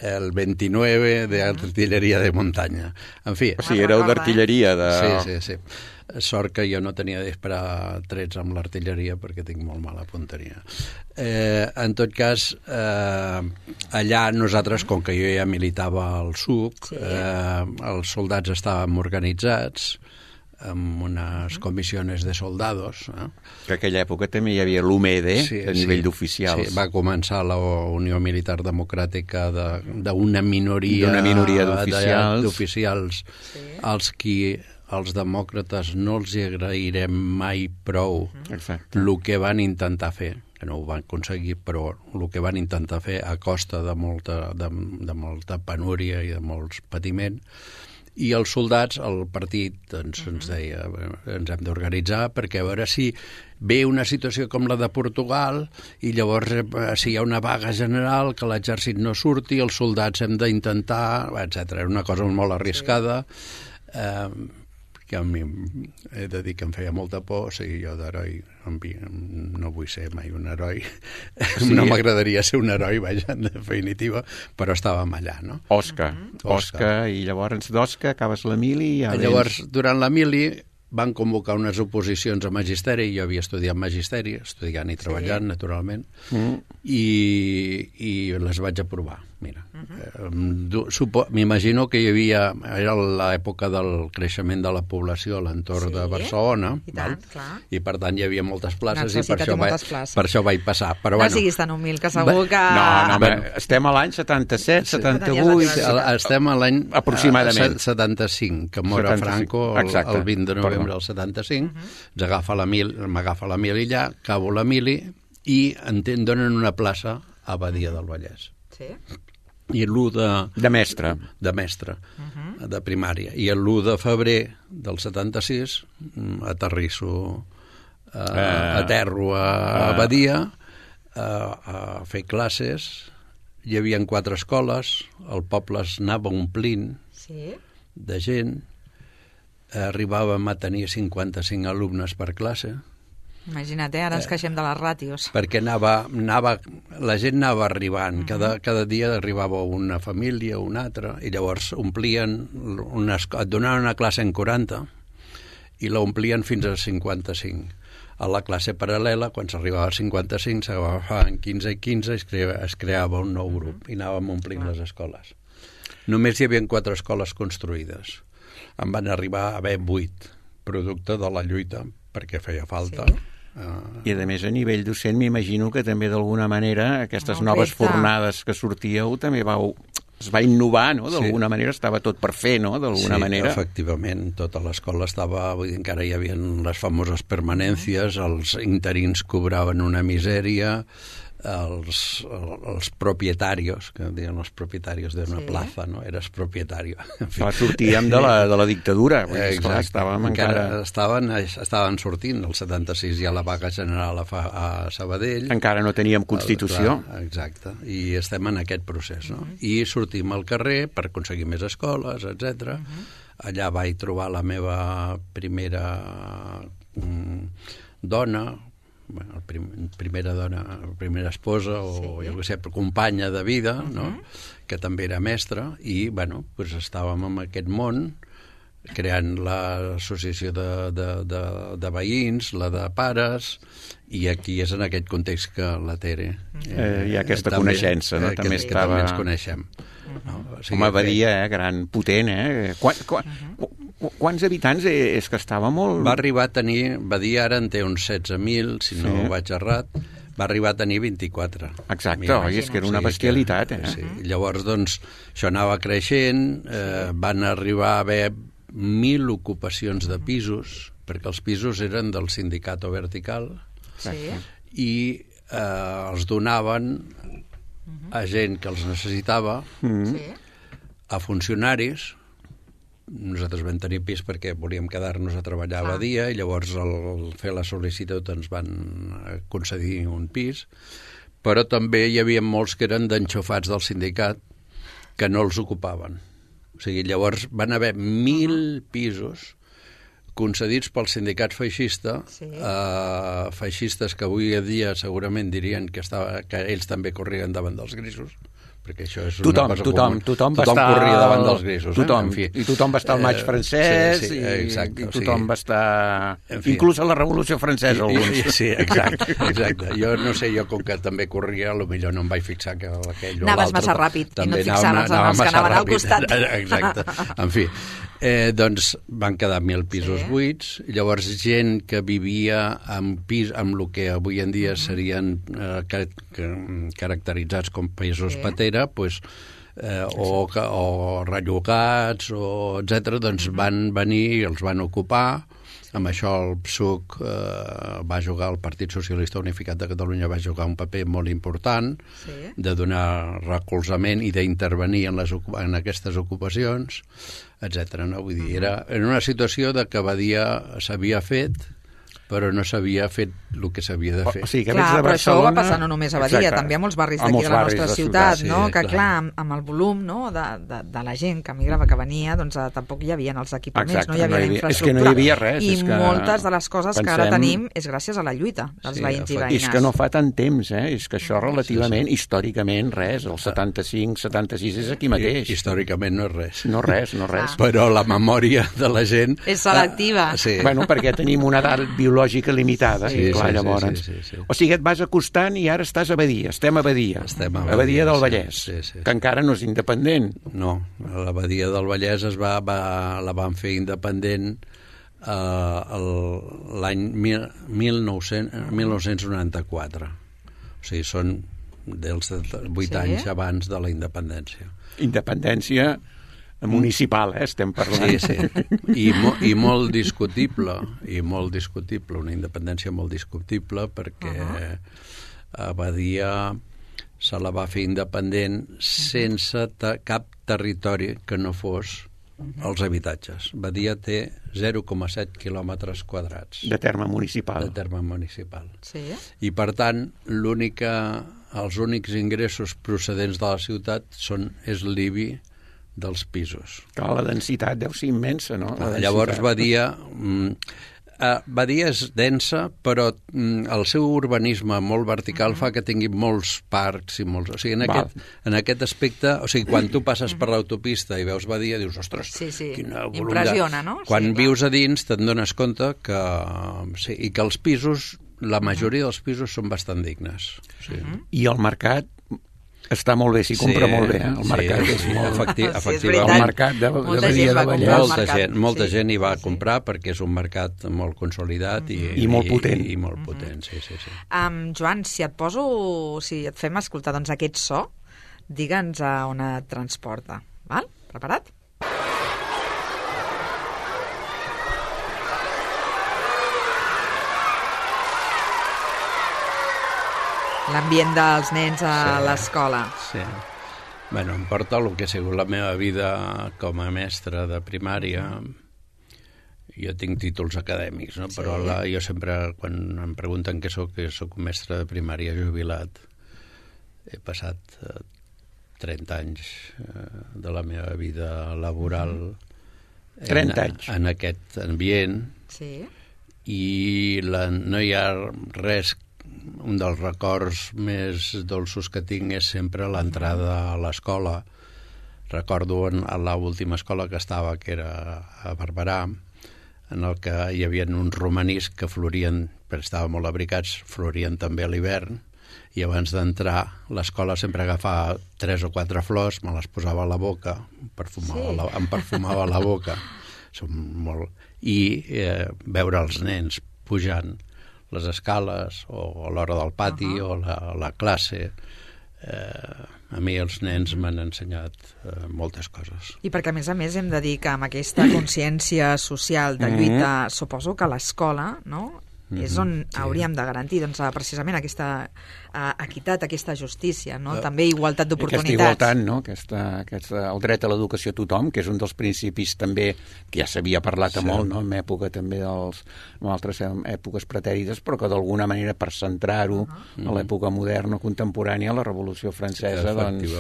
el vint-i-nou de artilleria de muntanya. En fi... O sigui, éreu d'artilleria de... Sí, sí, sí. Sort que jo no tenia de disparar trets amb l'artilleria perquè tinc molt mala punteria. Eh, en tot cas, eh, allà nosaltres, com que jo ja militava al S U C, sí. eh, els soldats estàvem organitzats amb unes comissions de soldados. Eh? Que en aquella època també hi havia l'U M E D, sí, a nivell sí, d'oficials. Sí, va començar la Unió Militar Democràtica d'una minoria, d'una minoria d'oficials, d'oficials sí. als qui els demòcrates no els agrairem mai prou el que van intentar fer, que no ho van aconseguir, però el que van intentar fer a costa de molta, de, de molta penúria i de molts patiment. I els soldats, el partit, doncs, uh-huh. ens deia, ens hem d'organitzar perquè a veure si ve una situació com la de Portugal i llavors si hi ha una vaga general, que l'exèrcit no surti, els soldats hem d'intentar, etcètera. Era una cosa molt arriscada. Sí. Eh, que a mi he de dir que em feia molta por, o sigui, jo d'heroi no vull ser mai un heroi, sí. no m'agradaria ser un heroi, vaja, en definitiva, però estàvem allà, no? Osca, mm-hmm. Osca, Osca, i llavors d'Osca acabes la mili i ja llavors, vens... durant la mili van convocar unes oposicions a magisteri, jo havia estudiat magisteri, estudiant i treballant, sí. naturalment, mm. i, i les vaig aprovar, mira. Uh-huh. M'imagino que hi havia, era l'època del creixement de la població a l'entorn sí. de Barcelona, I, tant, val? I per tant hi havia moltes places i per això, vaig, places. per això vaig passar. Però, no bueno, siguis tan humil, que segur que... No, no, bueno, estem a l'any setanta-set, setanta-vuit... Estem a l'any aproximadament setanta-cinc, que mor Franco el, el vint de novembre del setanta-cinc, uh-huh. ens agafa la mil, m'agafa la mili allà, acabo la mili i em donen una plaça a Badia del Vallès. Sí. I l'u de... De mestre. De mestre, uh-huh. de primària. I l'u de febrer del setanta-sis aterrisso, uh, uh, aterro a, uh, a Badia uh, a fer classes. Hi havia quatre escoles, el poble es anava omplint sí. de gent. Arribàvem a tenir cinquanta-cinc alumnes per classe. Imagina't, eh? Ara ens queixem de les ràtios. Perquè anava, anava, la gent anava arribant, uh-huh. cada, cada dia arribava una família, una altra, i llavors omplien, una, et donaven una classe en quaranta i la omplien fins a cinquanta-cinc. A la classe paral·lela, quan s'arribava a cinquanta-cinc, s'agafaven quinze i quinze i es creava, es creava un nou grup uh-huh. i anàvem omplint uh-huh. les escoles. Només hi havia quatre escoles construïdes. En van arribar a haver vuit, producte de la lluita, perquè feia falta. Sí. Uh, I a més a nivell docent m'imagino que també d'alguna manera aquestes no, noves repte. fornades que sortíeu també vau, es va innovar, no? D'alguna sí. manera estava tot per fer, no? D'alguna sí, manera. Sí, efectivament, tota l'escola estava, vull dir, encara hi havia les famoses permanències, els interins cobraven una misèria, els, els propietarios, que diuen els propietarios d'una sí. plaza, no? Eres propietario. Clar, sortíem de la, de la dictadura. Eh, esclar, estàvem encara... encara... Estaven, estaven sortint, el setanta-sis hi ha la vaga general a, fa, a Sabadell. Encara no teníem Constitució. Clar, exacte, i estem en aquest procés, no? Uh-huh. I sortim al carrer per aconseguir més escoles, etcètera. Uh-huh. Allà vaig trobar la meva primera mm, dona, bueno, prim, primera dona, primera esposa o sí. jo què sé, companya de vida, uh-huh. no? Que també era mestra, i bueno, pues estàvem en aquest món creant l'associació de, de, de, de veïns, la de pares, i aquí és en aquest context que la Tere... Eh, eh, hi ha aquesta també, coneixença, no? Eh, també que, estava... que també ens coneixem. No? O sigui, home, Badia, eh, gran, potent, eh? Quan, quan, uh-huh. Quants habitants? Eh, és que estava molt... Va arribar a tenir... Badia ara en té uns setze mil, si no sí. vaig errat, va arribar a tenir vint-i-quatre. Exacte, oi, és que era una bestialitat, eh? Sí. Llavors, doncs, això anava creixent, eh, van arribar a haver mil ocupacions de pisos, perquè els pisos eren del sindicat vertical, sí. i eh, els donaven a gent que els necessitava, sí. a funcionaris. Nosaltres vam tenir pis perquè volíem quedar-nos a treballar a Badia, i llavors al, al fer la sol·licitud ens van concedir un pis, però també hi havia molts que eren d'enxofats del sindicat que no els ocupaven. O sigui, llavors van haver mil pisos concedits pel sindicat feixista, sí. eh, feixistes que avui a dia segurament dirien que, estava, que ells també corrien davant dels grisos, perquè això és tothom, una cosa tothom, comuna. Tothom, tothom estar... corria davant dels grisos. Tothom, eh? En fi. I tothom va estar al maig francès, sí, sí, exacte, i, i tothom o sigui, va estar... En fi. Inclús a la Revolució Francesa, I, alguns. I, sí, exacte, exacte. Jo no sé, jo com que també corria, potser no em vaig fixar que aquell o l'altre... Anaves massa ràpid i no et fixaves en els que anaven al costat. Exacte. En fi, eh, doncs van quedar mil pisos sí. buits, llavors gent que vivia amb pis, amb el que avui en dia serien eh, que, que, caracteritzats com pisos sí. patera, doncs Eh, o, o rellogats o etcètera, doncs van venir i els van ocupar. Amb això el P S U C eh, va jugar, el Partit Socialista Unificat de Catalunya va jugar un paper molt important sí. de donar recolzament i d'intervenir en, les, en aquestes ocupacions, etcètera. No? Vull dir, era en una situació de que Badia s'havia fet, però no s'havia fet el que s'havia de fer. O sigui, que clar, de però Barcelona... això va passar no només a Badia, exacte. també a molts barris d'aquí de la nostra ciutat, ciutat sí, no? Que clar, clar amb, amb el volum no? de, de, de la gent que migrava, que venia, doncs eh, tampoc hi havia els equipaments, exacte, no hi havia, no hi havia infraestructura. És que no hi havia res. I és que moltes de les coses pensem... que ara tenim és gràcies a la lluita dels sí, veïns i veïnes. És que no fa tant temps, eh? És que això relativament, sí, sí. històricament, res. El setanta-cinc, setanta-sis és aquí mateix. I, històricament no és res. No res, no res. Ah. Però la memòria de la gent... És selectiva. Ah, sí. Bueno, perquè tenim una edat biològica limitada, sí, clar, sí, llavors. Sí, sí, sí, sí. O sigui, et vas acostant i ara estàs a Badia. Estem a Badia. Estem a Badia, a Badia del Vallès, sí, sí, sí. que encara no és independent. No, la Badia del Vallès es va, va, la van fer independent eh, l'any mil nou-cents noranta-quatre. O sigui, són dels vuit sí? anys abans de la independència. Independència municipal, eh, estem parlant. Sí, sí. I, mo, i molt discutible, i molt discutible, una independència molt discutible, perquè uh-huh. a Badia se la va fer independent sense ta, cap territori que no fos uh-huh. els habitatges. Badia té zero coma set quilòmetres quadrats. De terme municipal. De terme municipal. Sí. I, per tant, l'única, els únics ingressos procedents de la ciutat són, és l'I B I dels pisos. Clar, la densitat deu ser immensa, no? Ah, llavors Badia... Mm, eh, Badia és densa, però mm, el seu urbanisme molt vertical uh-huh. fa que tingui molts parcs i molts... O sigui, en aquest, en aquest aspecte... O sigui, quan tu passes per l'autopista i veus Badia, dius, ostres, sí, sí. quina volum impressiona, de... no? Quan sí, vius a dins te'n dones compte que... Sí, i que els pisos, la majoria dels pisos són bastant dignes. Sí. Uh-huh. I el mercat... Està molt bé, s'hi compra sí, molt bé, eh? El mercat sí, és molt... Efecti, sí, efectivament. El mercat de, de Badia del Vallès. Molta gent, molta sí, gent hi va sí, a comprar sí. perquè és un mercat molt consolidat i, I molt potent. I, i molt potent, sí, sí, sí. Um, Joan, si et poso, si et fem escoltar doncs, aquest so, digue'ns a on et transporta. Val? Preparat? L'ambient dels nens a sí, l'escola. Sí. Bueno, em porta el que ha sigut la meva vida com a mestre de primària. Jo tinc títols acadèmics, no? Sí. Però la, jo sempre, quan em pregunten què soc, que soc mestre de primària jubilat. He passat eh, trenta anys eh, de la meva vida laboral trenta en, anys. en aquest ambient. Sí. i la, no hi ha res. Un dels records més dolços que tinc és sempre l'entrada a l'escola. Recordo en, en l'última escola que estava, que era a Barberà, en el que hi havia uns romanís que florien, perquè estaven molt abrigats, florien també a l'hivern, i abans d'entrar l'escola sempre agafava tres o quatre flors, me les posava a la boca, perfumava sí. la, em perfumava la boca, som molt... i eh, veure els nens pujant les escales o a l'hora del pati uh -huh. o la, la classe. Eh, a mi els nens m'han ensenyat eh, moltes coses. I perquè, a més a més, hem de dir que amb aquesta consciència social de lluita, suposo que l'escola, no?, és on sí. hauríem de garantir doncs, precisament aquesta uh, equitat, aquesta justícia, no? Uh, també igualtat d'oportunitats. Aquesta igualtat, no? Aquesta, aquesta, el dret a l'educació a tothom, que és un dels principis també que ja s'havia parlat sí. molt, no? En època també dels, en altres èpoques pretèrites, però que d'alguna manera per centrar-ho uh -huh. a l'època moderna, contemporània, la Revolució Francesa, sí, doncs,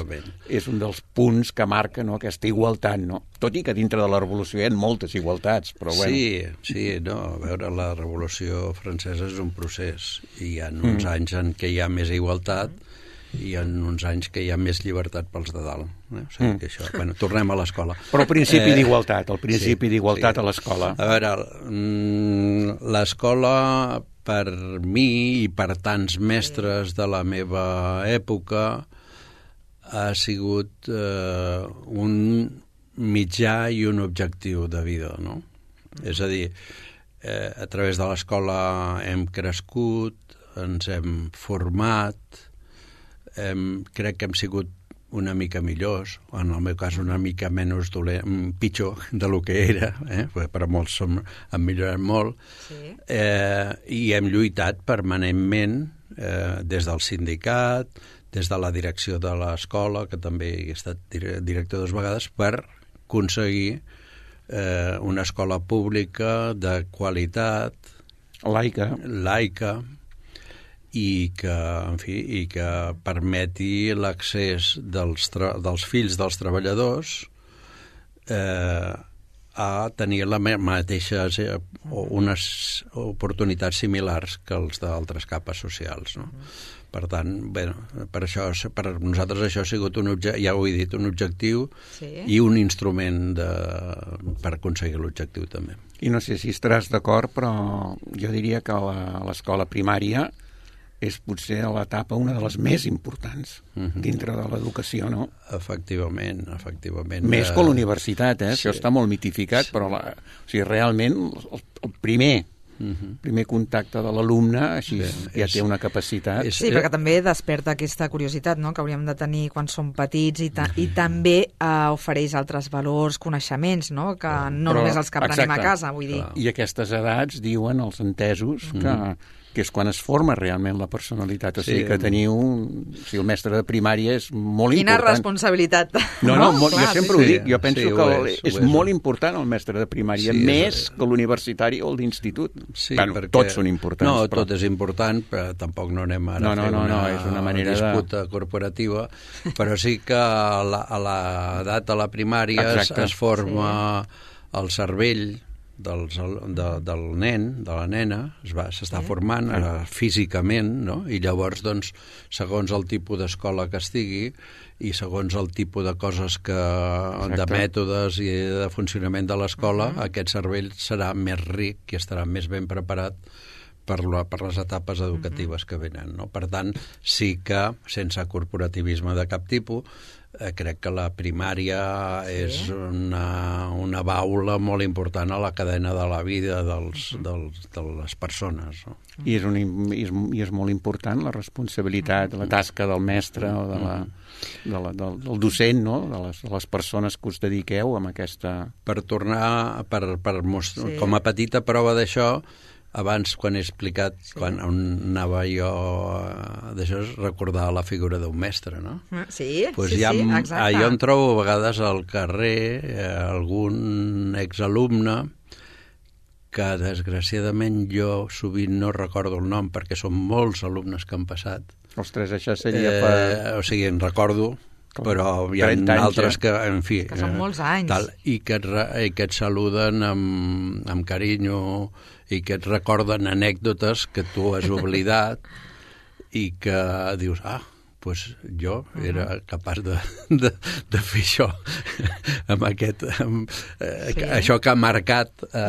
és un dels punts que marca, no? Aquesta igualtat, no? Tot i que dintre de la Revolució hi ha moltes igualtats, però bueno. Sí, sí, no, a veure, la Revolució Francesa és un procés, i hi ha uns mm. anys en què hi ha més igualtat i hi ha uns anys que hi ha més llibertat pels de dalt. Eh? O sigui, mm. que això... Bueno, tornem a l'escola. Però el principi eh, d'igualtat, el principi sí, d'igualtat sí. a l'escola. A veure, l'escola, per mi i per tants mestres de la meva època, ha sigut eh, un mitjà i un objectiu de vida, no? Mm. És a dir, eh, a través de l'escola hem crescut, ens hem format, hem, crec que hem sigut una mica millors, o en el meu cas una mica menys dolent, pitjor de lo que era, eh? Per molts som, hem millorat molt, sí. eh, i hem lluitat permanentment eh, des del sindicat, des de la direcció de l'escola, que també he estat director dues vegades, per aconseguir eh, una escola pública de qualitat, laica, laica i que, en fi, i que permeti l'accés dels, dels fills dels treballadors eh, a tenir la mateixes eh, o unes oportunitats similars que els d'altres capes socials, no? Per tant, bé, per, això, per nosaltres això ha sigut, un obje, ja ho he dit, un objectiu sí. i un instrument de, per aconseguir l'objectiu també. I no sé si estaràs d'acord, però jo diria que l'escola primària és potser l'etapa una de les més importants uh-huh. dintre de l'educació, no? Efectivament, efectivament. Més que l'universitat, eh? Sí. Això està molt mitificat, sí. però la, o sigui, realment el, el primer Uh-huh. primer contacte de l'alumne així Bé, ja és, té una capacitat és, sí, perquè també desperta aquesta curiositat, no?, que hauríem de tenir quan som petits i, ta- i també uh, ofereix altres valors, coneixements, no?, que no Però, només els que aprenem exacte. A casa, vull dir. I aquestes edats diuen els entesos que uh-huh. que és quan es forma realment la personalitat. O sigui, sí, que teniu... O sigui, el mestre de primària és molt Quina important. Quina responsabilitat. No, no, molt, clar, jo sempre sí, ho dic. Jo penso sí, que és, és, és molt important el mestre de primària, sí, més és... que l'universitari o el d'institut. Sí, bueno, perquè... tots són importants. No, però... tot és important, però tampoc no anem ara no, a no, fer no, una, no, és una manera disputa de... corporativa, però sí que a l'edat de la primària es, es forma sí. el cervell dels, de, del nen, de la nena, es va, s'està sí. formant eh, físicament, no? I llavors, doncs, segons el tipus d'escola que estigui i segons el tipus de coses que, Exacte. de mètodes i de funcionament de l'escola, uh-huh. aquest cervell serà més ric i estarà més ben preparat per, la, per les etapes educatives uh-huh. que venen, no? Per tant, sí que, sense corporativisme de cap tipus, Eh, crec que la primària sí. és una, una baula molt important a la cadena de la vida dels, uh-huh. dels, de les persones. No? I, és un, i, és, I és molt important la responsabilitat, uh-huh. la tasca del mestre o de la, de la, del, del docent, no? de, les, de les persones que us dediqueu amb aquesta... Per tornar, per, per most... sí. com a petita prova d'això, abans, quan he explicat, sí. quan anava jo d'això, recordar la figura d'un mestre, no? Sí, pues sí, ja sí, em, exacte. Jo em trobo a vegades al carrer eh, algun exalumne que, desgraciadament, jo sovint no recordo el nom, perquè són molts alumnes que han passat. Ostres, això seria per... Eh, o sigui, en recordo però hi ha altres que, en fi... Que són molts anys. Tal, i, que et, i que et saluden amb, amb carinyo i que et recorden anècdotes que tu has oblidat i que dius, ah, pues jo era capaç de, de, de fer això amb aquest amb, sí. això que ha marcat eh,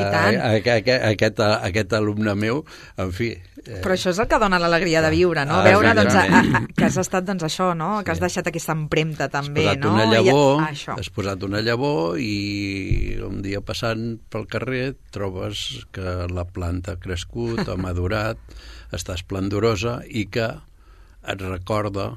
aquest, aquest, aquest alumne meu, en fi. Eh... Però això és el que dona l'alegria de viure, no? Ah, veure doncs, a, a, que has estat doncs, això, no? Que has deixat aquesta empremta també, has no? Una llavor, I, ah, has posat una llavor i un dia passant pel carrer trobes que la planta ha crescut, ha madurat, està esplendorosa i que et recorda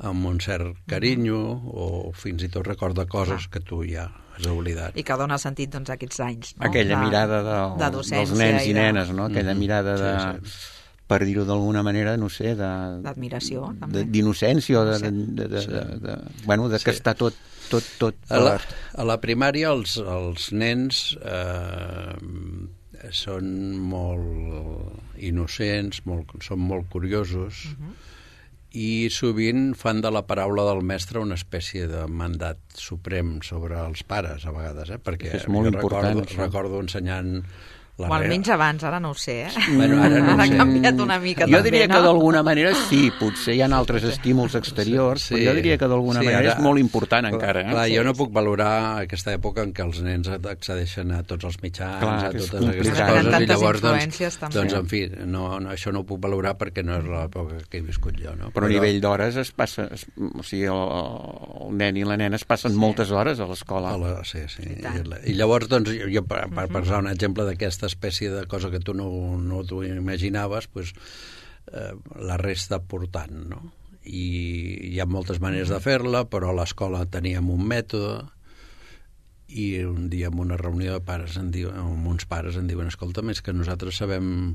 amb un cert carinyo o fins i tot recorda coses que tu ja has oblidat. I que dona sentit doncs, a aquests anys. No? Aquella de, mirada de, de dels nens i, i de... nenes, no? Aquella mirada de... Sí, sí. Per dir-ho d'alguna manera, no sé, de... D'admiració, també. D'innocència, o de, de, de, de, de, de, bueno, de que sí. Està tot... tot, tot a, la, a la primària els, els nens eh, són molt innocents, molt, són molt curiosos, uh-huh. i sovint fan de la paraula del mestre una espècie de mandat suprem sobre els pares, a vegades, eh? Perquè és molt important, recordo, recordo ensenyant... O almenys abans, ara no ho sé, eh? Bueno, ara no ara sé. ha canviat una mica jo també, diria no? que d'alguna manera sí, potser hi ha altres estímuls exteriors, sí, però jo diria que d'alguna sí, manera ara, és molt important encara. Eh? Clar, sí, jo no puc valorar aquesta època en què els nens accedeixen a tots els mitjans, clar, a totes aquestes coses, i llavors, doncs, doncs, en fi, no, no, això no ho puc valorar perquè no és l'època que he viscut jo. No? Però, però a nivell d'hores es passa, es, o sigui, el, el nen i la nena es passen sí. moltes hores a l'escola. Sí, sí. I, I llavors, doncs, jo, per, per posar un exemple d'aquesta espècie de cosa que tu no, no t'ho imaginaves, pues, eh, la resta portant, no? I hi ha moltes maneres de fer-la, però a l'escola teníem un mètode i un dia en una reunió de pares en diu, amb uns pares en diuen, escolta, més que nosaltres sabem,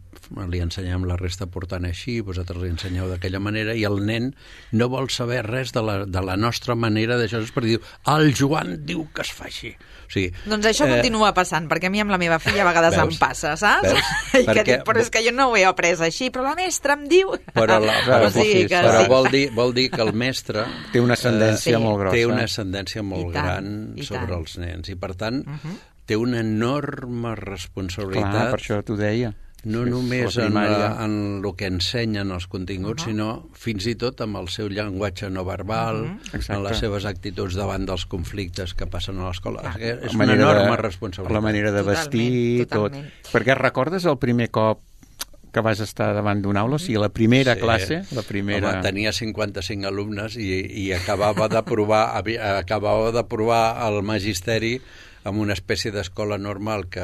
li ensenyem la resta portant així, vosaltres li ensenyeu d'aquella manera, i el nen no vol saber res de la, de la nostra manera d'això, perquè diu, el Joan diu que es fa així. O sigui, doncs això eh... continua passant, perquè a mi amb la meva filla a vegades veus? Em passa, saps? Veus? I perquè... que dic, però és que jo no ho he après així, però la mestra em diu... Però, la, però, o sigui, que però sí. vol, dir, vol dir que el mestre... Té una ascendència eh, molt grossa. Té una ascendència molt tant, gran sobre els nens, i per tant uh -huh. té una enorme responsabilitat. Clar, per això t'ho deia. No sí, només en, la, en el que ensenyen els continguts, uh -huh. sinó fins i tot amb el seu llenguatge no verbal, uh -huh. en les seves actituds davant dels conflictes que passen a l'escola. Ah, és una enorme de, responsabilitat. La manera de vestir, totalment, tot. Totalment. Perquè recordes el primer cop que vas estar davant d'una aula? O sigui, la primera sí. classe? La primera... Home, tenia cinquanta-cinc alumnes i, i acabava d'aprovar acabava d'aprovar el magisteri amb una espècie d'escola normal que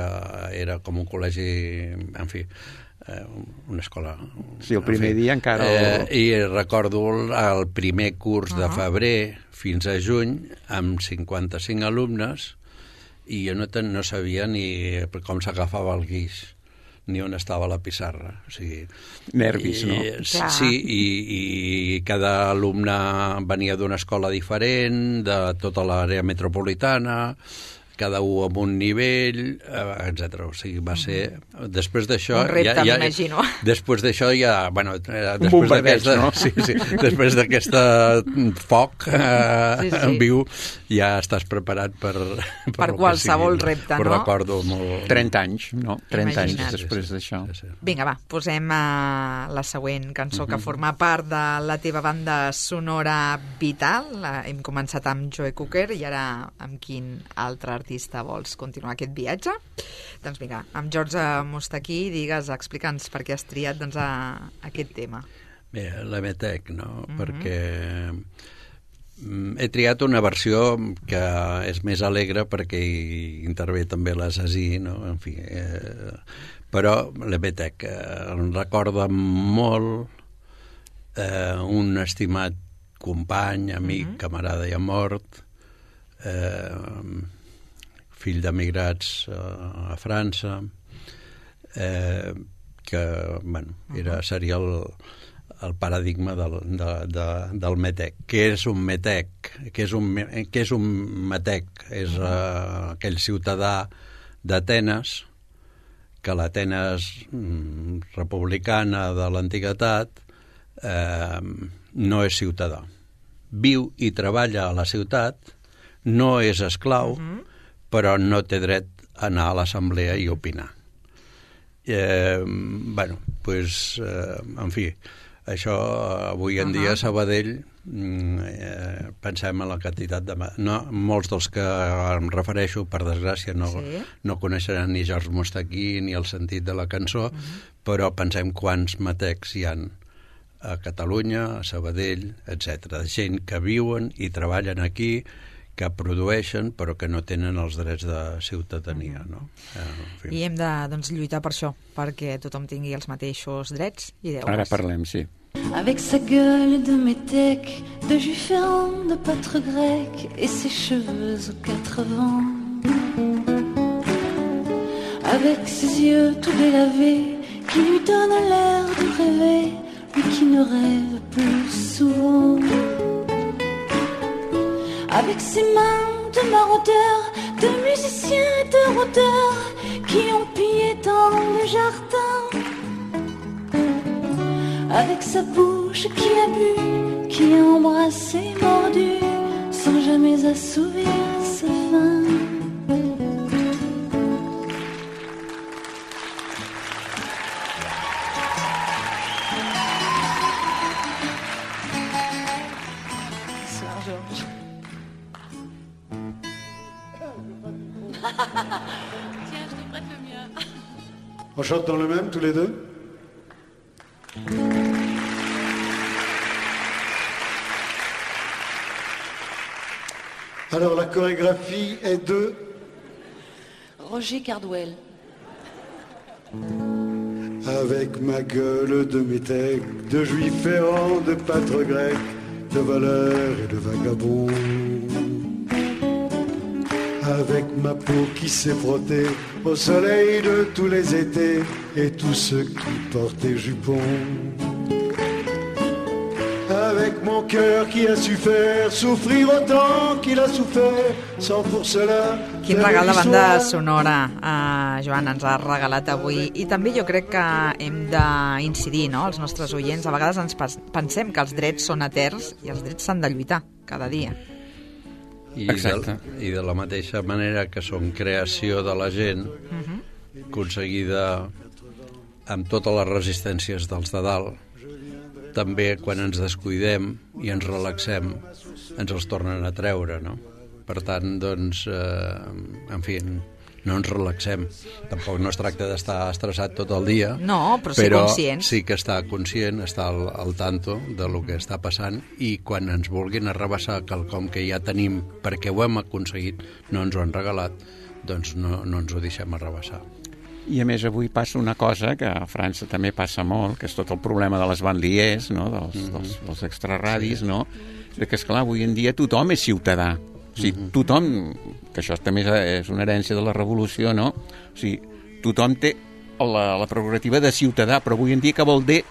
era com un col·legi, en fi, eh, una escola... Sí, el primer dia encara... El... Eh, I recordo el primer curs uh -huh. de febrer fins a juny amb cinquanta-cinc alumnes i jo no, ten, no sabia ni com s'agafava el guix ni on estava la pissarra. O sigui, nervis, i, no? Sí, i, i cada alumne venia d'una escola diferent, de tota l'àrea metropolitana, cada un amb un nivell, etcètera. O sigui, va ser... Després d'això... Un repte, ja, ja, m'imagino. Després d'això ja... Bueno, després d'aquesta... No? Sí, sí. Després d'aquesta foc eh, sí, sí. viu, ja estàs preparat per... Per, per qualsevol repte, no? Ho recordo molt... trenta anys, no? trenta anys després sí, d'això. Sí, sí. Vinga, va, posem uh, la següent cançó uh -huh. que forma part de la teva banda sonora vital. Hem començat amb Joe Cocker i ara amb quin altre artista vols continuar aquest viatge? Doncs vinga, amb George Mostaquí, digues, explica'ns per què has triat doncs, a, a aquest tema. Bé, l'Emetec, no? Mm-hmm. Perquè he triat una versió que és més alegre perquè hi intervé també l'Assassí, no? En fi, eh, però l'Emetec eh, em recorda molt eh, un estimat company, amic, mm-hmm. camarada ja mort, eh, fill d'emigrats a, a França, eh, que bueno, era, seria el, el paradigma del, de, de, del metec. Què és un metec? Què és un, què és un metec? És uh, aquell ciutadà d'Atenes, que l'Atenes mm, republicana de l'antiguitat eh, no és ciutadà. viu i treballa a la ciutat, no és esclau, uh-huh. però no té dret a anar a l'assemblea i opinar. Eh, bueno, pues, eh, en fi, això avui en uh-huh. dia a Sabadell eh, pensem en la quantitat de... No, molts dels que em refereixo, per desgràcia, no, sí. no coneixeran ni George Mostaquí ni el sentit de la cançó, uh-huh. però pensem quants matecs hi han a Catalunya, a Sabadell, etcètera. De gent que viuen i treballen aquí, que produeixen però que no tenen els drets de ciutadania, no? En fi. I hem de doncs, lluitar per això, perquè tothom tingui els mateixos drets i deures. Ara parlem, sí. Avec sa gueule de métèque, de juif errant, de pâtre grec, et ses cheveux aux quatre vents. Avec ses yeux tout délavés, qui lui donnent l'air de rêver, lui qui ne rêve plus souvent. Avec ses mains de maraudeurs, de musiciens et de rôdeurs, qui ont pillé dans le jardin. Avec sa bouche qui a bu, qui a embrassé, mordu, sans jamais assouvir sa faim. Bonsoir, Georges. Tiens, je te prête le mien. On chante dans le même, tous les deux? Alors, la chorégraphie est de... Roger Cardwell. Avec ma gueule de métèque, de juif errant, de pâtre grec, de voleur et de vagabond. Avec ma peau qui s'est frottée au soleil de tous les étés et tous ceux qui portaient jupons. Avec mon cœur qui a su faire souffrir autant qu'il a souffert, sans pour cela... Quin regal de banda sonora, uh, Joan, ens ha regalat avui. I també jo crec que hem d'incidir, no?, els nostres oients. A vegades ens pensem que els drets són eterns i els drets s'han de lluitar cada dia. I de, I de la mateixa manera que són creació de la gent, uh-huh. aconseguida amb totes les resistències dels de dalt, també quan ens descuidem i ens relaxem ens els tornen a treure, no? Per tant, doncs, eh, en fi, no ens relaxem. Tampoc no es tracta d'estar estressat tot el dia, no, però, però conscient. Sí que està conscient, està al, al tanto de lo que està passant, i quan ens vulguin arrabassar quelcom que ja tenim perquè ho hem aconseguit, no ens ho han regalat, doncs no, no ens ho deixem arrabassar. I a més avui passa una cosa que a França també passa molt, que és tot el problema de les banlieues, no?, dels, mm-hmm. dels, dels extraradis, sí. no?, de que, esclar, avui en dia tothom és ciutadà. O sigui, mm-hmm. tothom, que això també és una herència de la revolució, no? O sigui, tothom té la, la prerrogativa de ciutadà, però avui en dia què vol dir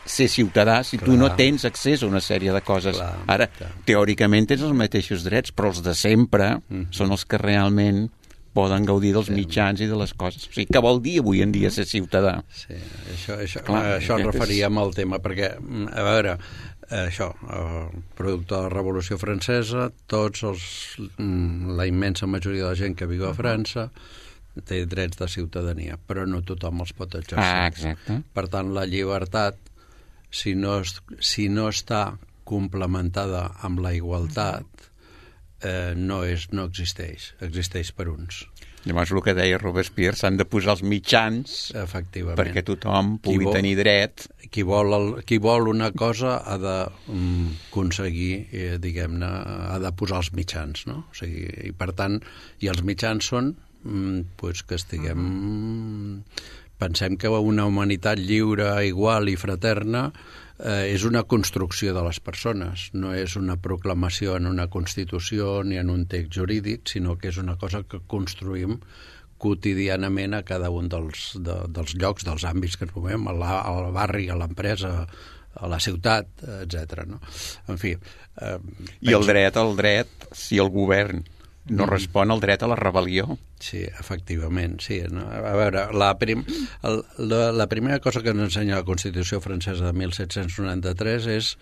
ser ciutadà si clar. Tu no tens accés a una sèrie de coses? Clar, ara, clar. Teòricament tens els mateixos drets, però els de sempre mm-hmm. són els que realment poden gaudir dels mitjans i de les coses. O sigui, què vol dir avui en dia ser ciutadà? Sí, això, això, clar, això ens referíem al tema, perquè, a veure, això, el producte de la Revolució Francesa, tots els, la immensa majoria de la gent que viu a França té drets de ciutadania, però no tothom els pot exercir. Ah, exacte. Per tant, la llibertat, si no, si no està complementada amb la igualtat, Eh, no, és, no existeix, existeix per uns. Llavors el que deia Robespierre, s'han de posar els mitjans perquè tothom pugui vol, tenir dret. Qui vol, el, qui vol una cosa ha d'aconseguir, eh, diguem-ne, ha de posar els mitjans, no? O sigui, i per tant, i els mitjans són mm, pues que estiguem... Uh-huh. Pensem que una humanitat lliure, igual i fraterna eh, és una construcció de les persones, no és una proclamació en una Constitució ni en un text jurídic, sinó que és una cosa que construïm quotidianament a cada un dels, de, dels llocs, dels àmbits que ens movem, al barri, a l'empresa, a la ciutat, etcètera. No? En fi... Eh, I el dret, el dret, si el govern no respon al dret a la rebel·lió. Sí, efectivament, sí. No? A veure, la, prim, el, la, la primera cosa que ens ensenya la Constitució francesa de mil set-cents noranta-tres és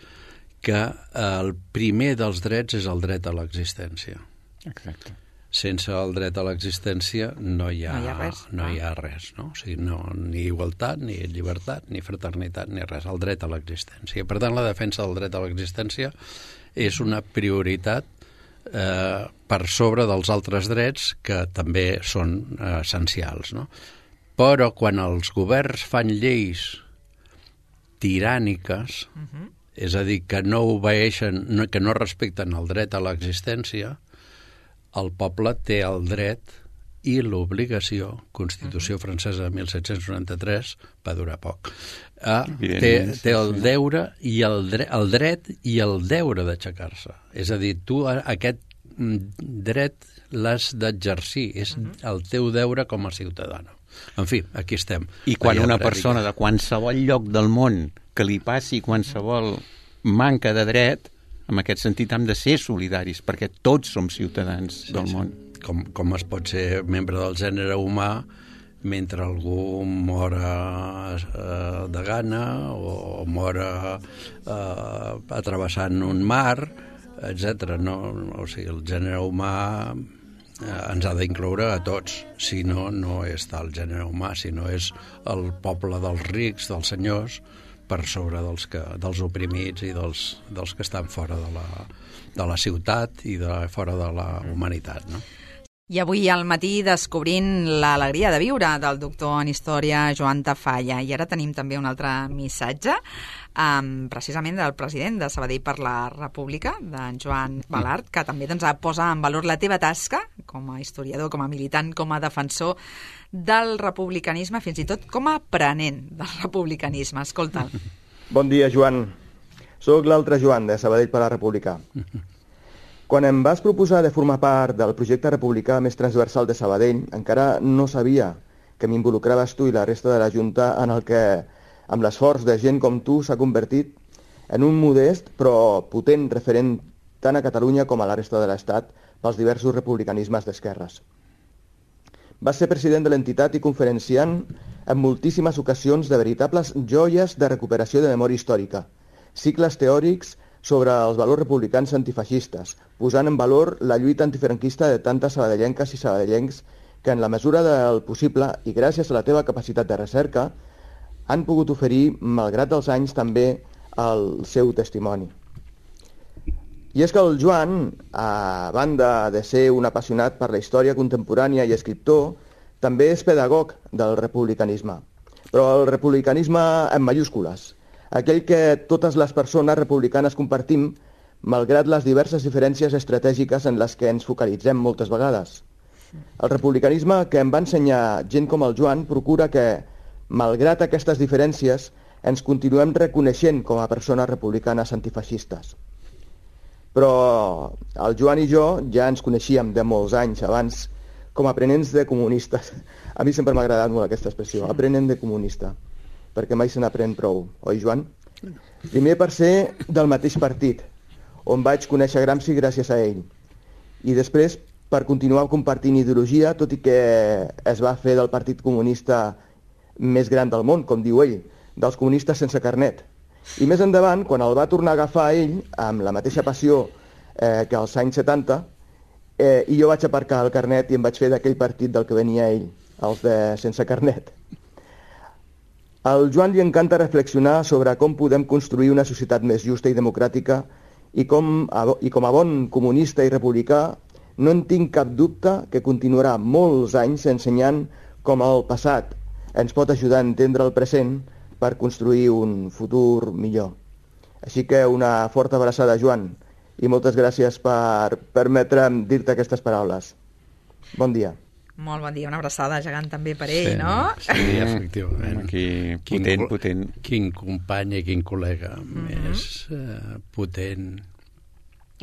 que el primer dels drets és el dret a l'existència. Exacte. Sense el dret a l'existència no hi ha, no hi ha res, no hi ha res no? O sigui, no, ni igualtat, ni llibertat, ni fraternitat, ni res, el dret a l'existència. Per tant, la defensa del dret a l'existència és una prioritat eh, per sobre dels altres drets que també són eh, essencials, no? Però quan els governs fan lleis tiràniques, uh-huh. és a dir, que no obeeixen, no, que no respecten el dret a l'existència, el poble té el dret i l'obligació, Constitució francesa de mil set-cents noranta-tres, va durar poc, a, té, té el deure i el, dre, el dret i el deure d'aixecar-se. És a dir, tu aquest dret l'has d'exercir, és el teu deure com a ciutadà. En fi, aquí estem. I quan una persona de qualsevol lloc del món que li passi qualsevol manca de dret, en aquest sentit hem de ser solidaris, perquè tots som ciutadans sí, del món. Sí. Com, com es pot ser membre del gènere humà mentre algú mora eh, de gana o mora eh, atrevessant un mar, etcètera. No, o sigui, el gènere humà eh, ens ha d'incloure a tots. Si no, no és tal gènere humà, sinó és el poble dels rics, dels senyors, per sobre dels, que, dels oprimits i dels, dels que estan fora de la, de la ciutat i de, fora de la humanitat, no? I avui al matí descobrint l'alegria de viure del doctor en història Joan Tafalla. I ara tenim també un altre missatge, um, precisament del president de Sabadell per la República, d'en Joan Balart, que també doncs, posa en valor la teva tasca com a historiador, com a militant, com a defensor del republicanisme, fins i tot com a aprenent del republicanisme. Escolta. Bon dia, Joan. Soc l'altre Joan, de Sabadell per la República. Quan em vas proposar de formar part del projecte republicà més transversal de Sabadell, encara no sabia que m'involucraves tu i la resta de la Junta en el que, amb l'esforç de gent com tu, s'ha convertit en un modest però potent referent tant a Catalunya com a la resta de l'Estat pels diversos republicanismes d'esquerres. Vas ser president de l'entitat i conferenciant en moltíssimes ocasions de veritables joies de recuperació de memòria històrica, cicles teòrics sobre els valors republicans antifeixistes, posant en valor la lluita antifranquista de tantes sabadellenques i sabadellencs que en la mesura del possible i gràcies a la teva capacitat de recerca han pogut oferir, malgrat els anys, també el seu testimoni. I és que el Joan, a banda de ser un apassionat per la història contemporània i escriptor, també és pedagog del republicanisme, però el republicanisme en mayúscules, aquell que totes les persones republicanes compartim, malgrat les diverses diferències estratègiques en les que ens focalitzem moltes vegades. El republicanisme que em va ensenyar gent com el Joan procura que, malgrat aquestes diferències, ens continuem reconeixent com a persones republicanes antifeixistes. Però el Joan i jo ja ens coneixíem de molts anys abans com a aprenents de comunistes. A mi sempre m'ha agradat molt aquesta expressió, aprenent de comunista, perquè mai se n'aprèn prou, oi, Joan? Primer per ser del mateix partit, on vaig conèixer Gramsci gràcies a ell, i després per continuar compartint ideologia, tot i que es va fer del partit comunista més gran del món, com diu ell, dels comunistes sense carnet. I més endavant, quan el va tornar a agafar ell, amb la mateixa passió eh, que als anys setanta, eh, i jo vaig aparcar el carnet i em vaig fer d'aquell partit del que venia ell, els de sense carnet. Al Joan li encanta reflexionar sobre com podem construir una societat més justa i democràtica i com, i com a bon comunista i republicà no en tinc cap dubte que continuarà molts anys ensenyant com el passat ens pot ajudar a entendre el present per construir un futur millor. Així que una forta abraçada, Joan, i moltes gràcies per permetre'm dir-te aquestes paraules. Bon dia. Molt bon dia, una abraçada gegant també per ell, sí, no? Sí, efectivament. Aquí, potent, potent. Quin company i quin col·lega mm-hmm. més uh, potent.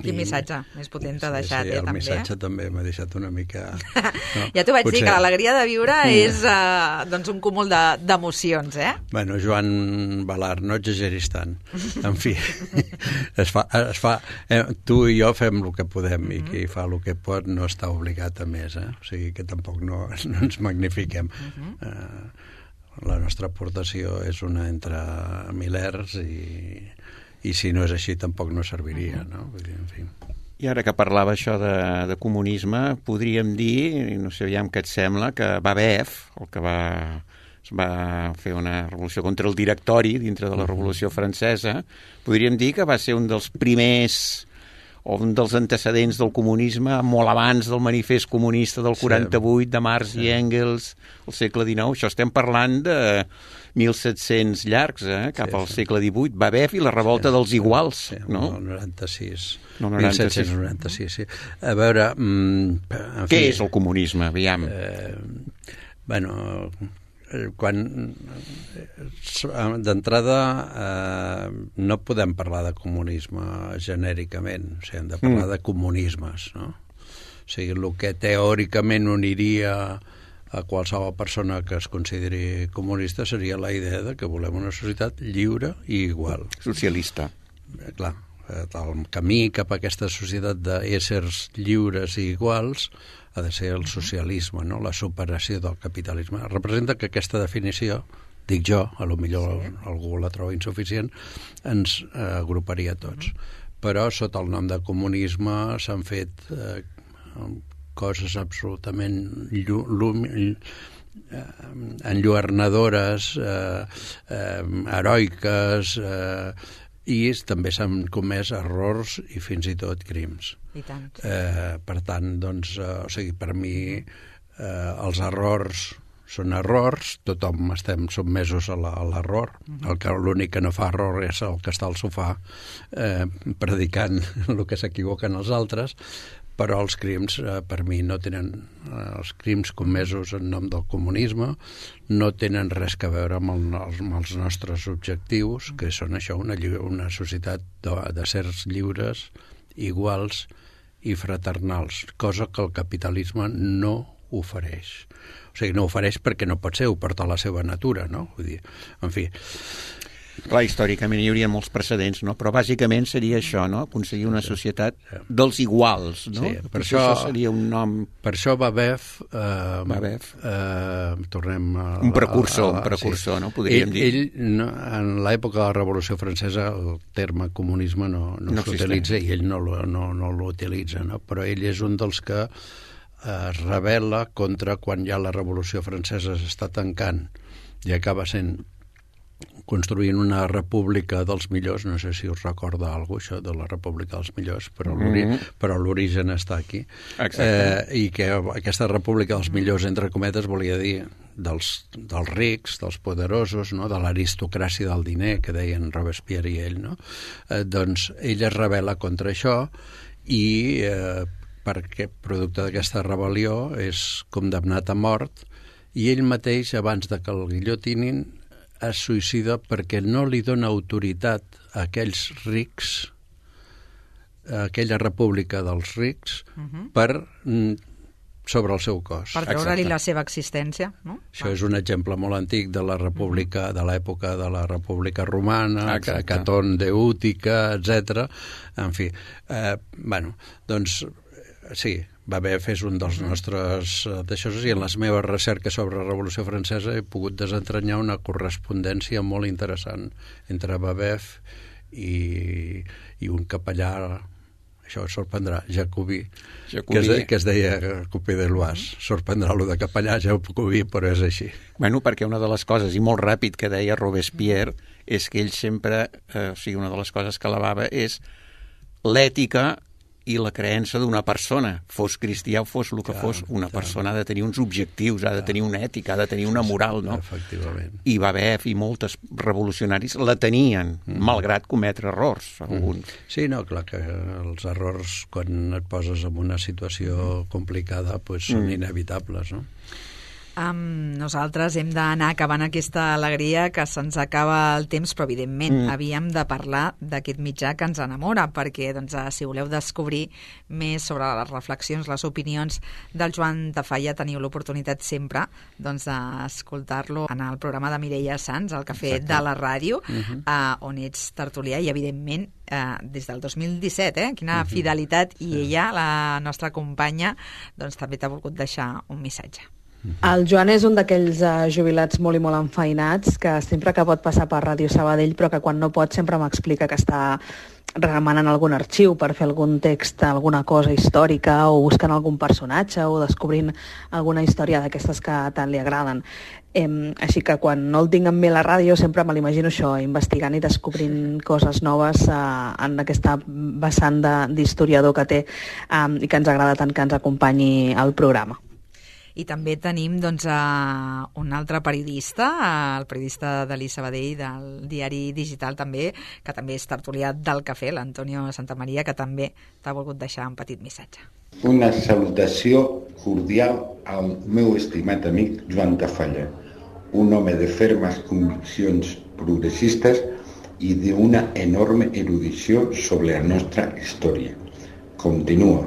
Quin I... missatge més potent t'ha deixat, sí, sí, eh, el també. El missatge també m'ha deixat una mica... No? Ja t'ho vaig Potser... dir, que l'alegria de viure és uh, doncs un cúmul d'emocions, de, eh? Bueno, Joan Balart, no exageris tant. En fi, es fa, es fa, eh, tu i jo fem el que podem mm-hmm. i qui fa el que pot no està obligat a més, eh? O sigui que tampoc no, no ens magnifiquem. Mm-hmm. Uh, la nostra aportació és una entre milers i... i si no és així tampoc no serviria, no? Vull dir, en fi. I ara que parlava això de, de comunisme, podríem dir, no sé aviam què et sembla, que Babev, el que va, va fer una revolució contra el directori dintre de la Revolució Francesa, podríem dir que va ser un dels primers o un dels antecedents del comunisme molt abans del manifest comunista del quaranta-vuit, de Marx sí. i Engels, al segle dinou. Això estem parlant de mil set-cents llargs, eh? cap sí, al sí. segle divuit. Babev i la revolta sí, dels iguals, sí, no? El noranta-sis. No, noranta-sis. mil set-cents noranta-sis, sí. A veure... Mm, en Què fi, és el comunisme, aviam? Eh, bueno... quan d'entrada eh, no podem parlar de comunisme genèricament, o sigui, hem de parlar mm. de comunismes, no? O sigui, el que teòricament uniria a qualsevol persona que es consideri comunista seria la idea de que volem una societat lliure i igual. Socialista. Eh, clar, el camí cap a aquesta societat d'éssers lliures i iguals ha de ser el socialisme, no? La superació del capitalisme. Representa que aquesta definició, dic jo, a lo millor sí. algú la troba insuficient, ens eh, agruparia tots. Mm. Però sota el nom de comunisme s'han fet eh, coses absolutament llu llu eh, enlluernadores, eh, eh, heroiques, eh, i també s'han comès errors i fins i tot crims. I tant. Eh, per tant, doncs, eh, o sigui, per mi eh, els errors són errors, tothom estem sotmesos a l'error. Uh-huh. L'únic que no fa error és el que està al sofà eh, predicant el que s'equivoquen els altres, però els crims, eh, per mi, no tenen... Eh, els crims comesos en nom del comunisme no tenen res a veure amb, el, amb els nostres objectius, que són això, una, una societat de, de sers lliures, iguals i fraternals, cosa que el capitalisme no ofereix. O sigui, no ofereix perquè no pot ser, ho porta a la seva natura, no? Vull dir, en fi... Clar, històricament hi hauria molts precedents, no? Però bàsicament seria això, no? Aconseguir una societat dels iguals, no? Sí, per això, això seria un nom... Per això Babev... Eh, Babev. Eh, tornem a... Un precursor, a, a, un precursor, sí. no? Podríem ell, dir. Ell, no, en l'època de la Revolució Francesa, el terme comunisme no, no, no s'utilitza i ell no, no, no l'utilitza, no? Però ell és un dels que es rebel·la contra quan ja la Revolució Francesa s'està tancant i acaba sent construint una república dels millors, no sé si us recorda alguna cosa, això de la república dels millors, però l'origen mm -hmm. està aquí. Eh, I que aquesta república dels millors, entre cometes, volia dir dels, dels rics, dels poderosos, no? De l'aristocràcia del diner, que deien Robespierre i ell, no? Eh, doncs ell es rebel·la contra això i eh, perquè producte d'aquesta rebel·lió és condemnat a mort i ell mateix, abans de que el guillotinin, es suïcida perquè no li dona autoritat a aquells rics, a aquella república dels rics, uh-huh. per sobre el seu cos. Per treure-li la seva existència, no? Això ah. és un exemple molt antic de la república, uh-huh. de l'època de la república romana, Exacte. Catón de Útica, etcètera. En fi, eh, bueno, doncs sí, Babev és un dels nostres d'això, i en les meves recerques sobre la Revolució Francesa he pogut desentranyar una correspondència molt interessant entre Babev i, i un capellà, això us sorprendrà, Jacobí, Jacobí. Que, es de, que es deia Copé de l'Oise. Sorprendrà lo de capellà, Jacobí, però és així. Bueno, perquè una de les coses, i molt ràpid, que deia Robespierre, és que ell sempre, eh, o sigui, una de les coses que alabava és l'ètica i la creença d'una persona, fos cristià o fos el que clar, fos, una clar. persona ha de tenir uns objectius, ha de tenir una ètica, ha de tenir una moral, no? Efectivament. I Babev i moltes revolucionaris la tenien, mm. malgrat cometre errors, alguns. Mm. Sí, no, clar que els errors, quan et poses en una situació complicada, pues, són mm. inevitables, no? Um, nosaltres hem d'anar acabant aquesta alegria, que se'ns acaba el temps, però evidentment mm. havíem de parlar d'aquest mitjà que ens enamora, perquè doncs, si voleu descobrir més sobre les reflexions, les opinions del Joan Tafalla, teniu l'oportunitat sempre doncs, d'escoltar-lo en el programa de Mireia Sans, el Cafè Exacte. de la Ràdio, uh-huh. uh, on ets tertulià, i evidentment uh, des del dos mil disset, eh? Quina uh-huh. fidelitat, i sí. ella, la nostra companya, doncs també t'ha volgut deixar un missatge. El Joan és un d'aquells uh, jubilats molt i molt enfeinats que sempre que pot passar per Ràdio Sabadell, però que quan no pot sempre m'explica que està remenant algun arxiu per fer algun text, alguna cosa històrica, o buscant algun personatge, o descobrint alguna història d'aquestes que tant li agraden. Eh, així que quan no el tinc amb mi a la ràdio sempre me l'imagino això, investigant i descobrint coses noves eh, en aquesta vessant d'historiador que té eh, i que ens agrada tant que ens acompanyi al programa. I també tenim doncs, uh, un altre periodista, uh, el periodista de l'I Sabadell, del diari digital també, que també és tertulià del Cafè, l'Antonio Santamaria, que també t'ha volgut deixar un petit missatge. Una salutació cordial al meu estimat amic Joan Tafalla, un home de fermes conviccions progressistes i d'una enorme erudició sobre la nostra història. Continua,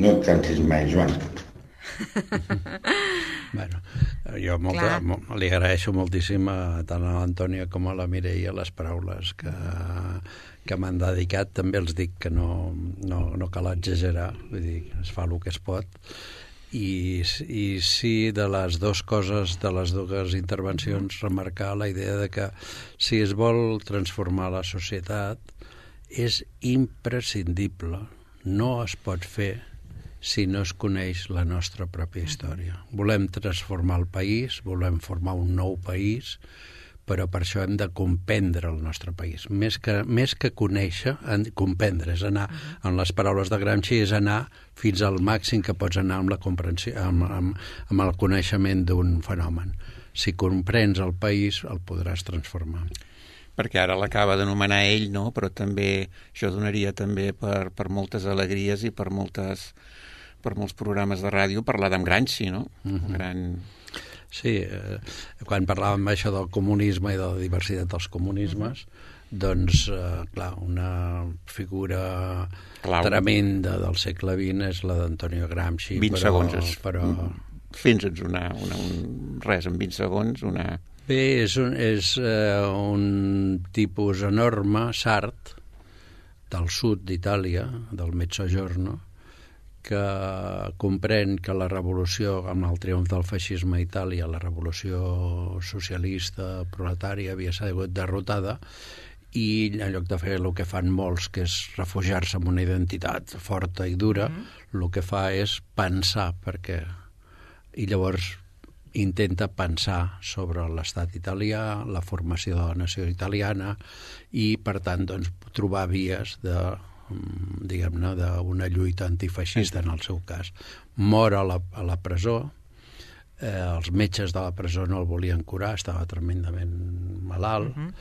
no et cansis mai, Joan. Bueno, jo molta, mo- li agraeixo moltíssim a, tant a l'Antònia com a la Mireia les paraules que, que m'han dedicat. També els dic que no, no, no cal exagerar, vull dir, es fa el que es pot. I, i sí, de les dues coses, de les dues intervencions, remarcar la idea de que si es vol transformar la societat és imprescindible, no es pot fer si no es coneix la nostra pròpia història. Volem transformar el país, volem formar un nou país, però per això hem de comprendre el nostre país. Més que, més que conèixer, comprendre, és anar, en les paraules de Gramsci, és anar fins al màxim que pots anar amb, la comprensió, amb, amb, amb el coneixement d'un fenomen. Si comprens el país, el podràs transformar. Perquè ara l'acaba d'anomenar ell, no? Però també això donaria també per, per moltes alegries i per moltes per molts programes de ràdio parlar d'en Gramsci, no? Uh-huh. Gran... Sí, eh, quan parlàvem això del comunisme i de la diversitat dels comunismes, uh-huh. doncs, eh, clar, una figura Clau. tremenda del segle vint és la d'Antonio Gramsci. vint però, segons. És... Però... Fins-nos una, una, un, res, en vint segons, una... Bé, és un, és, eh, un tipus enorme, sard, del sud d'Itàlia, del Mezzogiorno, que comprèn que la revolució, amb el triomf del feixisme a Itàlia, la revolució socialista, proletària, havia sigut derrotada, i en lloc de fer el que fan molts, que és refugiar-se en una identitat forta i dura, mm-hmm. el que fa és pensar, perquè... I llavors intenta pensar sobre l'estat italià, la formació de la nació italiana, i, per tant, doncs, trobar vies de... diguem-ne, d'una lluita antifeixista en el seu cas. Mor a la, a la presó, eh, els metges de la presó no el volien curar, estava tremendament malalt. Uh-huh.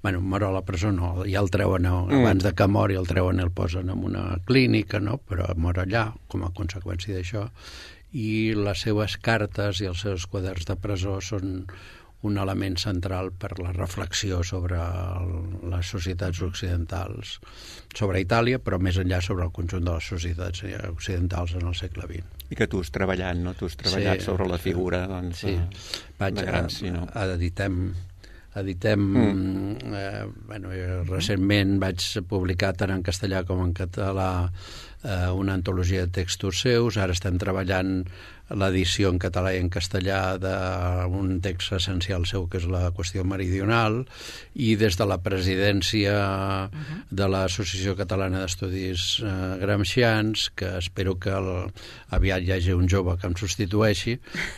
Bueno, mor a la presó no, ja el treuen, uh-huh. abans de que mori el treuen i el posen en una clínica, no? Però mor allà com a conseqüència d'això, i les seves cartes i els seus quaderns de presó són un element central per la reflexió sobre el, les societats occidentals, sobre Itàlia, però més enllà sobre el conjunt de les societats occidentals en el segle vint. I que tu has treballat, no? Tu has treballat sí, sobre la figura, doncs, sí. Vaig de Gramsci, no? A, editem, editem mm. eh, bueno, recentment vaig publicar tant en castellà com en català eh, una antologia de textos seus. Ara estem treballant l'edició en català i en castellà d'un text essencial seu, que és la qüestió meridional, i des de la presidència uh-huh. de l'Associació Catalana d'Estudis eh, Gramscians, que espero que el, aviat hi hagi un jove que em substitueixi,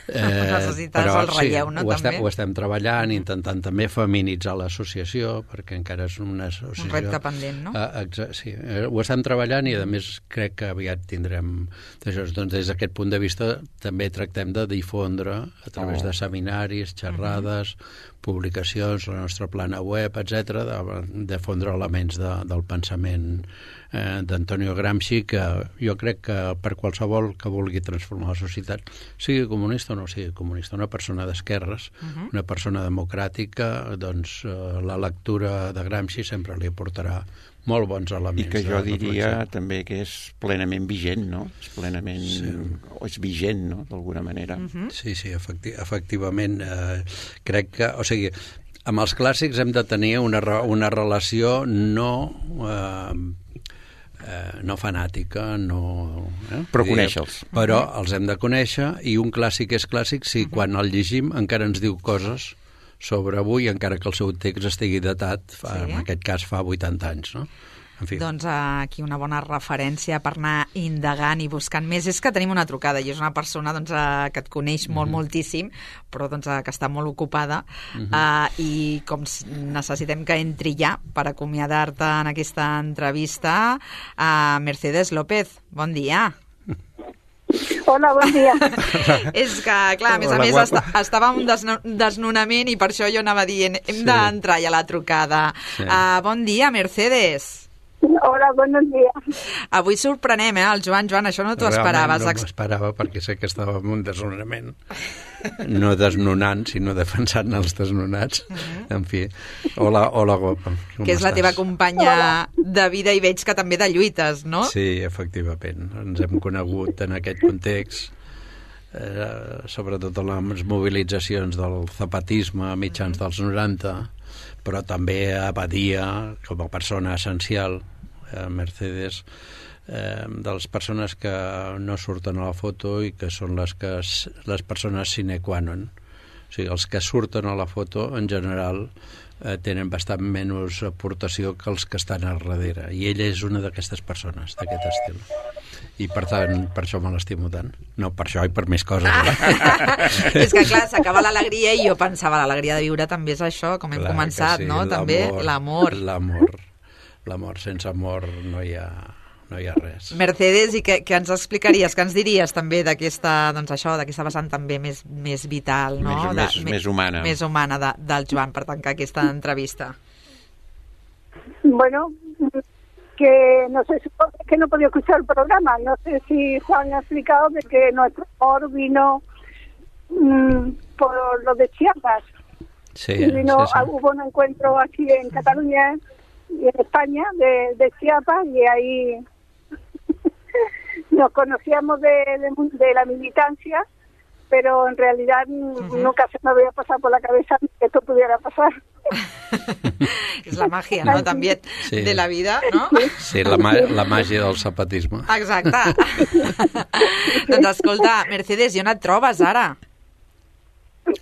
eh, però el relleu, sí, no, ho, estem, ho estem treballant, intentant també feminitzar l'associació, perquè encara és una associació... Un repte pendent, no? Eh, sí, eh, ho estem treballant, i a més crec que aviat tindrem... Doncs, des d'aquest punt de vista també tractem de difondre a través oh. de seminaris, xerrades, uh-huh. publicacions, la nostra plana web, etcètera, de difondre elements de, del pensament eh, d'Antonio Gramsci, que jo crec que per qualsevol que vulgui transformar la societat, sigui comunista o no sigui comunista, una persona d'esquerres, uh-huh. una persona democràtica, doncs eh, la lectura de Gramsci sempre li aportarà molt bons elements. I que jo diria també que és plenament vigent, no? És plenament... Sí. O és vigent, no?, d'alguna manera. Uh-huh. Sí, sí, efecti efectivament. Eh, crec que... O sigui, amb els clàssics hem de tenir una, una relació no... Eh, eh, no fanàtica, no... Eh? Però conèixer-los. Però els hem de conèixer, i un clàssic és clàssic si quan el llegim encara ens diu coses sobre avui, encara que el seu text estigui datat, fa, sí. en aquest cas fa vuitanta anys, no? En fi. Doncs aquí una bona referència per anar indagant i buscant més. És que tenim una trucada i és una persona doncs, que et coneix molt, mm-hmm. moltíssim, però doncs, que està molt ocupada mm-hmm. uh, i com necessitem que entri ja per acomiadar-te en aquesta entrevista, uh, Mercedes López, bon dia. Hola, bon dia. És que, clar, a més Hola, a més, est estava en un desno desnonament i per això jo anava dient, hem sí. d'entrar ja a la trucada. Sí. Uh, bon dia, Mercedes. Hola, bon dia. Avui sorprenem, eh, el Joan. Joan, això no t'ho esperaves. No m'ho esperava perquè sé que estava en un desnonament. No desnonant, sinó defensant els desnonats. Uh -huh. En fi, hola, hola, guapa. Com que és estàs? La teva companya hola. De vida i veig que també de lluites, no? Sí, efectivament. Ens hem conegut en aquest context, eh, sobretot en les mobilitzacions del zapatisme a mitjans dels noranta, però també a Badia, com a persona essencial, eh, Mercedes, eh, de les persones que no surten a la foto i que són les, que, les persones sine qua non. O sigui, els que surten a la foto, en general, eh, tenen bastant menys aportació que els que estan al darrere. I ella és una d'aquestes persones, d'aquest estil. I per tant, per això me l'estimo tant. No per això i per més coses. Ah. És que clar, s'acaba l'alegria i jo pensava l'alegria de viure també és això, com hem clar començat, sí, no? També l'amor. L'amor. L'amor. Sense amor no hi ha, no hi ha res. Mercedes, i què, què ens explicaries, què ens diries també d'aquesta, doncs això, d'aquesta vessant també més, més vital, no? Més, de, més, més humana. Més humana de, del Joan, per tancar aquesta entrevista. Bueno, que no sé, es que no podía escuchar el programa, no sé si Juan ha explicado de que nuestro amor vino mmm, por lo de Chiapas. Sí, vino, sí, sí. Hubo un encuentro aquí en Cataluña y en España de, de Chiapas y ahí nos conocíamos de, de, de la militancia, pero en realidad uh-huh. nunca se me había pasado por la cabeza que esto pudiera pasar. És la màgia, no?, també sí. de la vida, no? Sí, la, la màgia del zapatisme. Exacte. Doncs escolta, Mercedes, i on et trobes ara?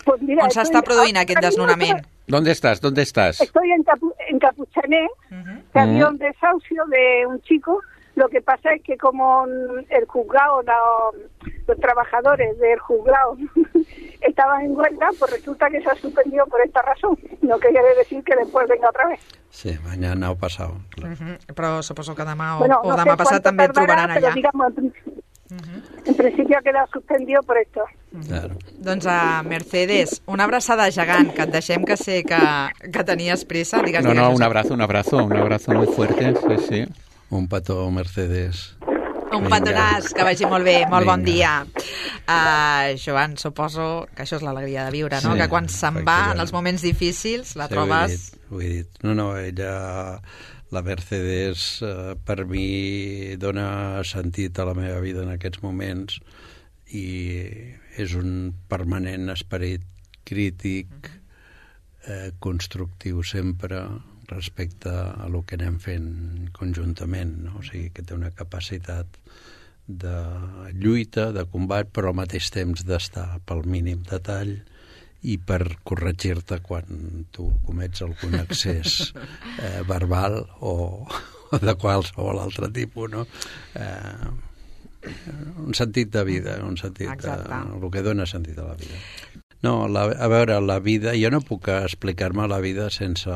Pues mira, on s'està produint aquest desnonament? ¿Dónde estás? ¿Dónde estás? Estoy en, Capu en Capuchané, uh-huh. que había un desahucio de un chico. Lo que pasa es que como el juzgado, no, los trabajadores del juzgado estaban en huelga, pues resulta que se ha suspendido por esta razón. No quiere decir que después venga otra vez. Sí, mañana ha pasado. Claro. Uh-huh. Però suposo que demà o, bueno, o no demà sé passat també et trobaran allà. Però digamos, en, uh-huh. en principio ha quedado suspendido por esto. Uh-huh. Claro. Doncs a Mercedes, una abraçada gegant, que et deixem, que sé que, que tenies pressa. Digues, no, digues, no, un abrazo, un abrazo, un abrazo muy fuerte, sí, sí. Un petó, Mercedes. Un petonàs, que vagi molt bé, molt Vinga. Bon dia. Uh, Joan, suposo que això és l'alegria de viure, no? Sí, que quan se'n va, en els moments difícils, la sí, trobes... Ho he dit, ho he dit. No, no, ella, la Mercedes, uh, per mi dona sentit a la meva vida en aquests moments i és un permanent esperit crític, eh, constructiu sempre, respecte a el que anem fent conjuntament, no? O sigui, que té una capacitat de lluita, de combat, però al mateix temps d'estar pel mínim detall i per corregir-te quan tu comets algun excés eh, verbal o, o de qualsevol altre tipus, no? Eh, un sentit de vida, un sentit de, el que dona sentit a la vida. No, la, a veure, la vida... Jo no puc explicar-me la vida sense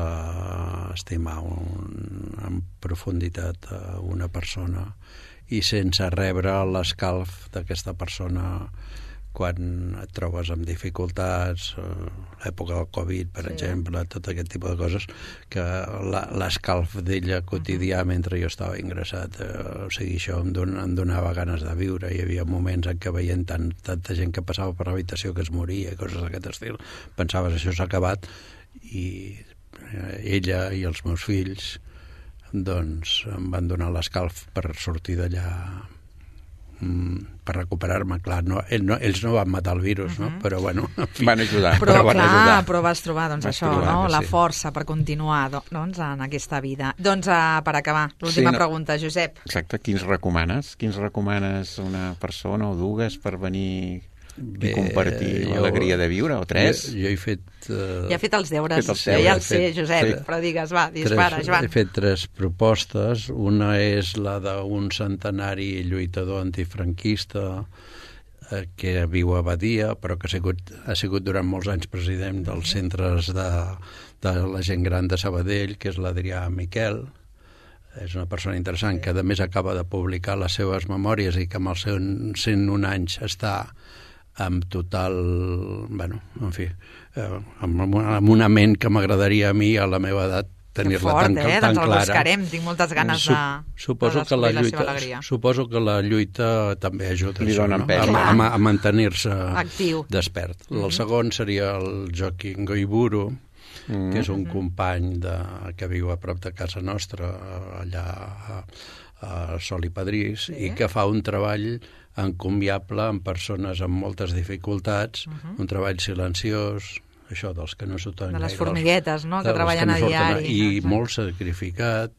estimar un, en profunditat una persona i sense rebre l'escalf d'aquesta persona quan et trobes amb dificultats, l'època del Covid, per sí. exemple, tot aquest tipus de coses, que l'escalf d'ella quotidià mentre jo estava ingressat, eh, o sigui, això em, don, em donava ganes de viure. Hi havia moments en què veient tant, tanta gent que passava per l'habitació que es moria, coses d'aquest estil, pensaves, això s'ha acabat, i ella i els meus fills doncs em van donar l'escalf per sortir d'allà per recuperar-me, clar, no, ell no, ells no van matar el virus, no? Però bueno, en fi. Van ajudar. Però, van clar, ajudar. però vas trobar, doncs, Vas això, trobar, no? La sí. força per continuar, doncs, en aquesta vida. Doncs, uh, per acabar, l'última Sí, no. pregunta, Josep. Exacte, quins recomanes? Quins recomanes una persona o dues per venir i compartir l'alegria de viure, o tres? Jo, jo he fet... Uh, Ja ha fet els deures, fet els jo ja el he sé, fet- Josep, sí. però digues, va, dispara, Tres, Joan. he fet tres propostes. Una és la d'un centenari lluitador antifranquista eh, que viu a Badia, però que ha sigut, ha sigut durant molts anys president dels centres de, de la gent gran de Sabadell, que és l'Adrià Miquel. És una persona interessant que, a més, acaba de publicar les seves memòries i que amb els seus cent un anys està amb total, bueno, en fi, eh, amb, amb una ment que m'agradaria a mi, a la meva edat, tenir-la Fort, tan, eh? tan Doncs el clara. buscarem, tinc moltes ganes de, suposo de que la descobrir la lluita, seva alegria. Suposo que la lluita també ajuda Li això, dona no? pes. a, a, a mantenir-se Actiu. despert. Mhm. El segon seria el Joaquim Goiburu, Mm. que és un company de, que viu a prop de casa nostra, allà a, a Sol i Padrís, sí. i que fa un treball encomiable amb persones amb moltes dificultats, Mhm. un treball silenciós, això dels que no surten De les gaire, formiguetes, no?, que dels treballen no a surten, diari. I Exacte. molt sacrificat,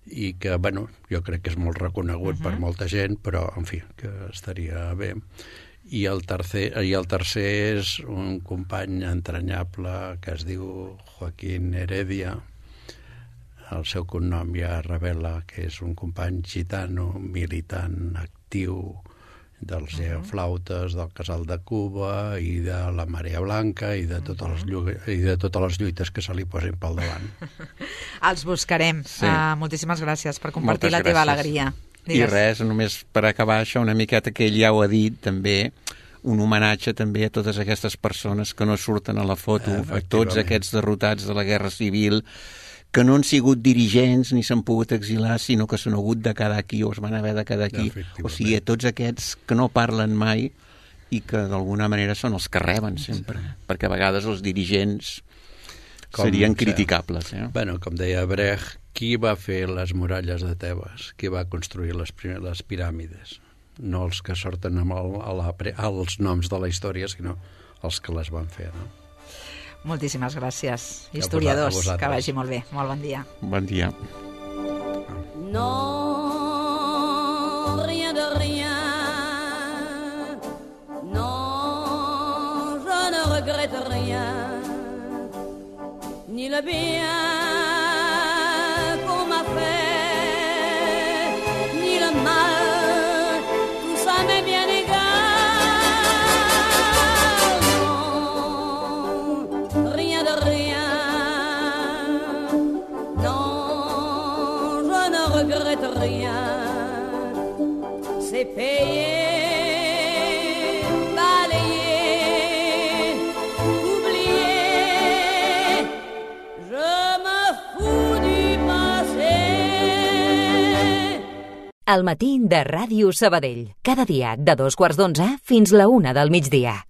i que, bueno, jo crec que és molt reconegut Mhm. per molta gent, però, en fi, que estaria bé. I el tercer, i el tercer és un company entranyable que es diu Joaquín Heredia. El seu cognom ja revela que és un company gitano, militant actiu dels geoflautes, del Casal de Cuba i de la Marea Blanca i de totes les, llu- i de totes les lluites que se li posin pel davant. Els buscarem. Sí. Uh, moltíssimes gràcies per compartir Moltes la teva gràcies. alegria. I res, només per acabar això, una miqueta que ell ja ho ha dit, també, un homenatge també a totes aquestes persones que no surten a la foto, a tots aquests derrotats de la Guerra Civil, que no han sigut dirigents ni s'han pogut exilar, sinó que s'han hagut de quedar aquí o es van haver de quedar aquí. O sigui, a tots aquests que no parlen mai i que d'alguna manera són els que reben sempre, perquè a vegades els dirigents Com, serien sí. criticables. Eh? Bueno, com deia Brecht, qui va fer les muralles de Tebes? Qui va construir les, primer, les piràmides? No els que sorten amb el, a la, als noms de la història, sinó els que les van fer, no? Moltíssimes gràcies, A historiadors. vosaltres. Que vagi molt bé. Molt bon dia. Bon dia. Non, rien de rien. Non, je ne regrette rien. Ni le bien qu'on m'a fait, ni le mal, tout ça m'est bien égal. Non, rien de rien. Non, je ne regrette rien. C'est payé, balayé, oublié. Je me fous du passé. El matí de Ràdio Sabadell. Cada dia de dos quarts d'onze fins la una del migdia.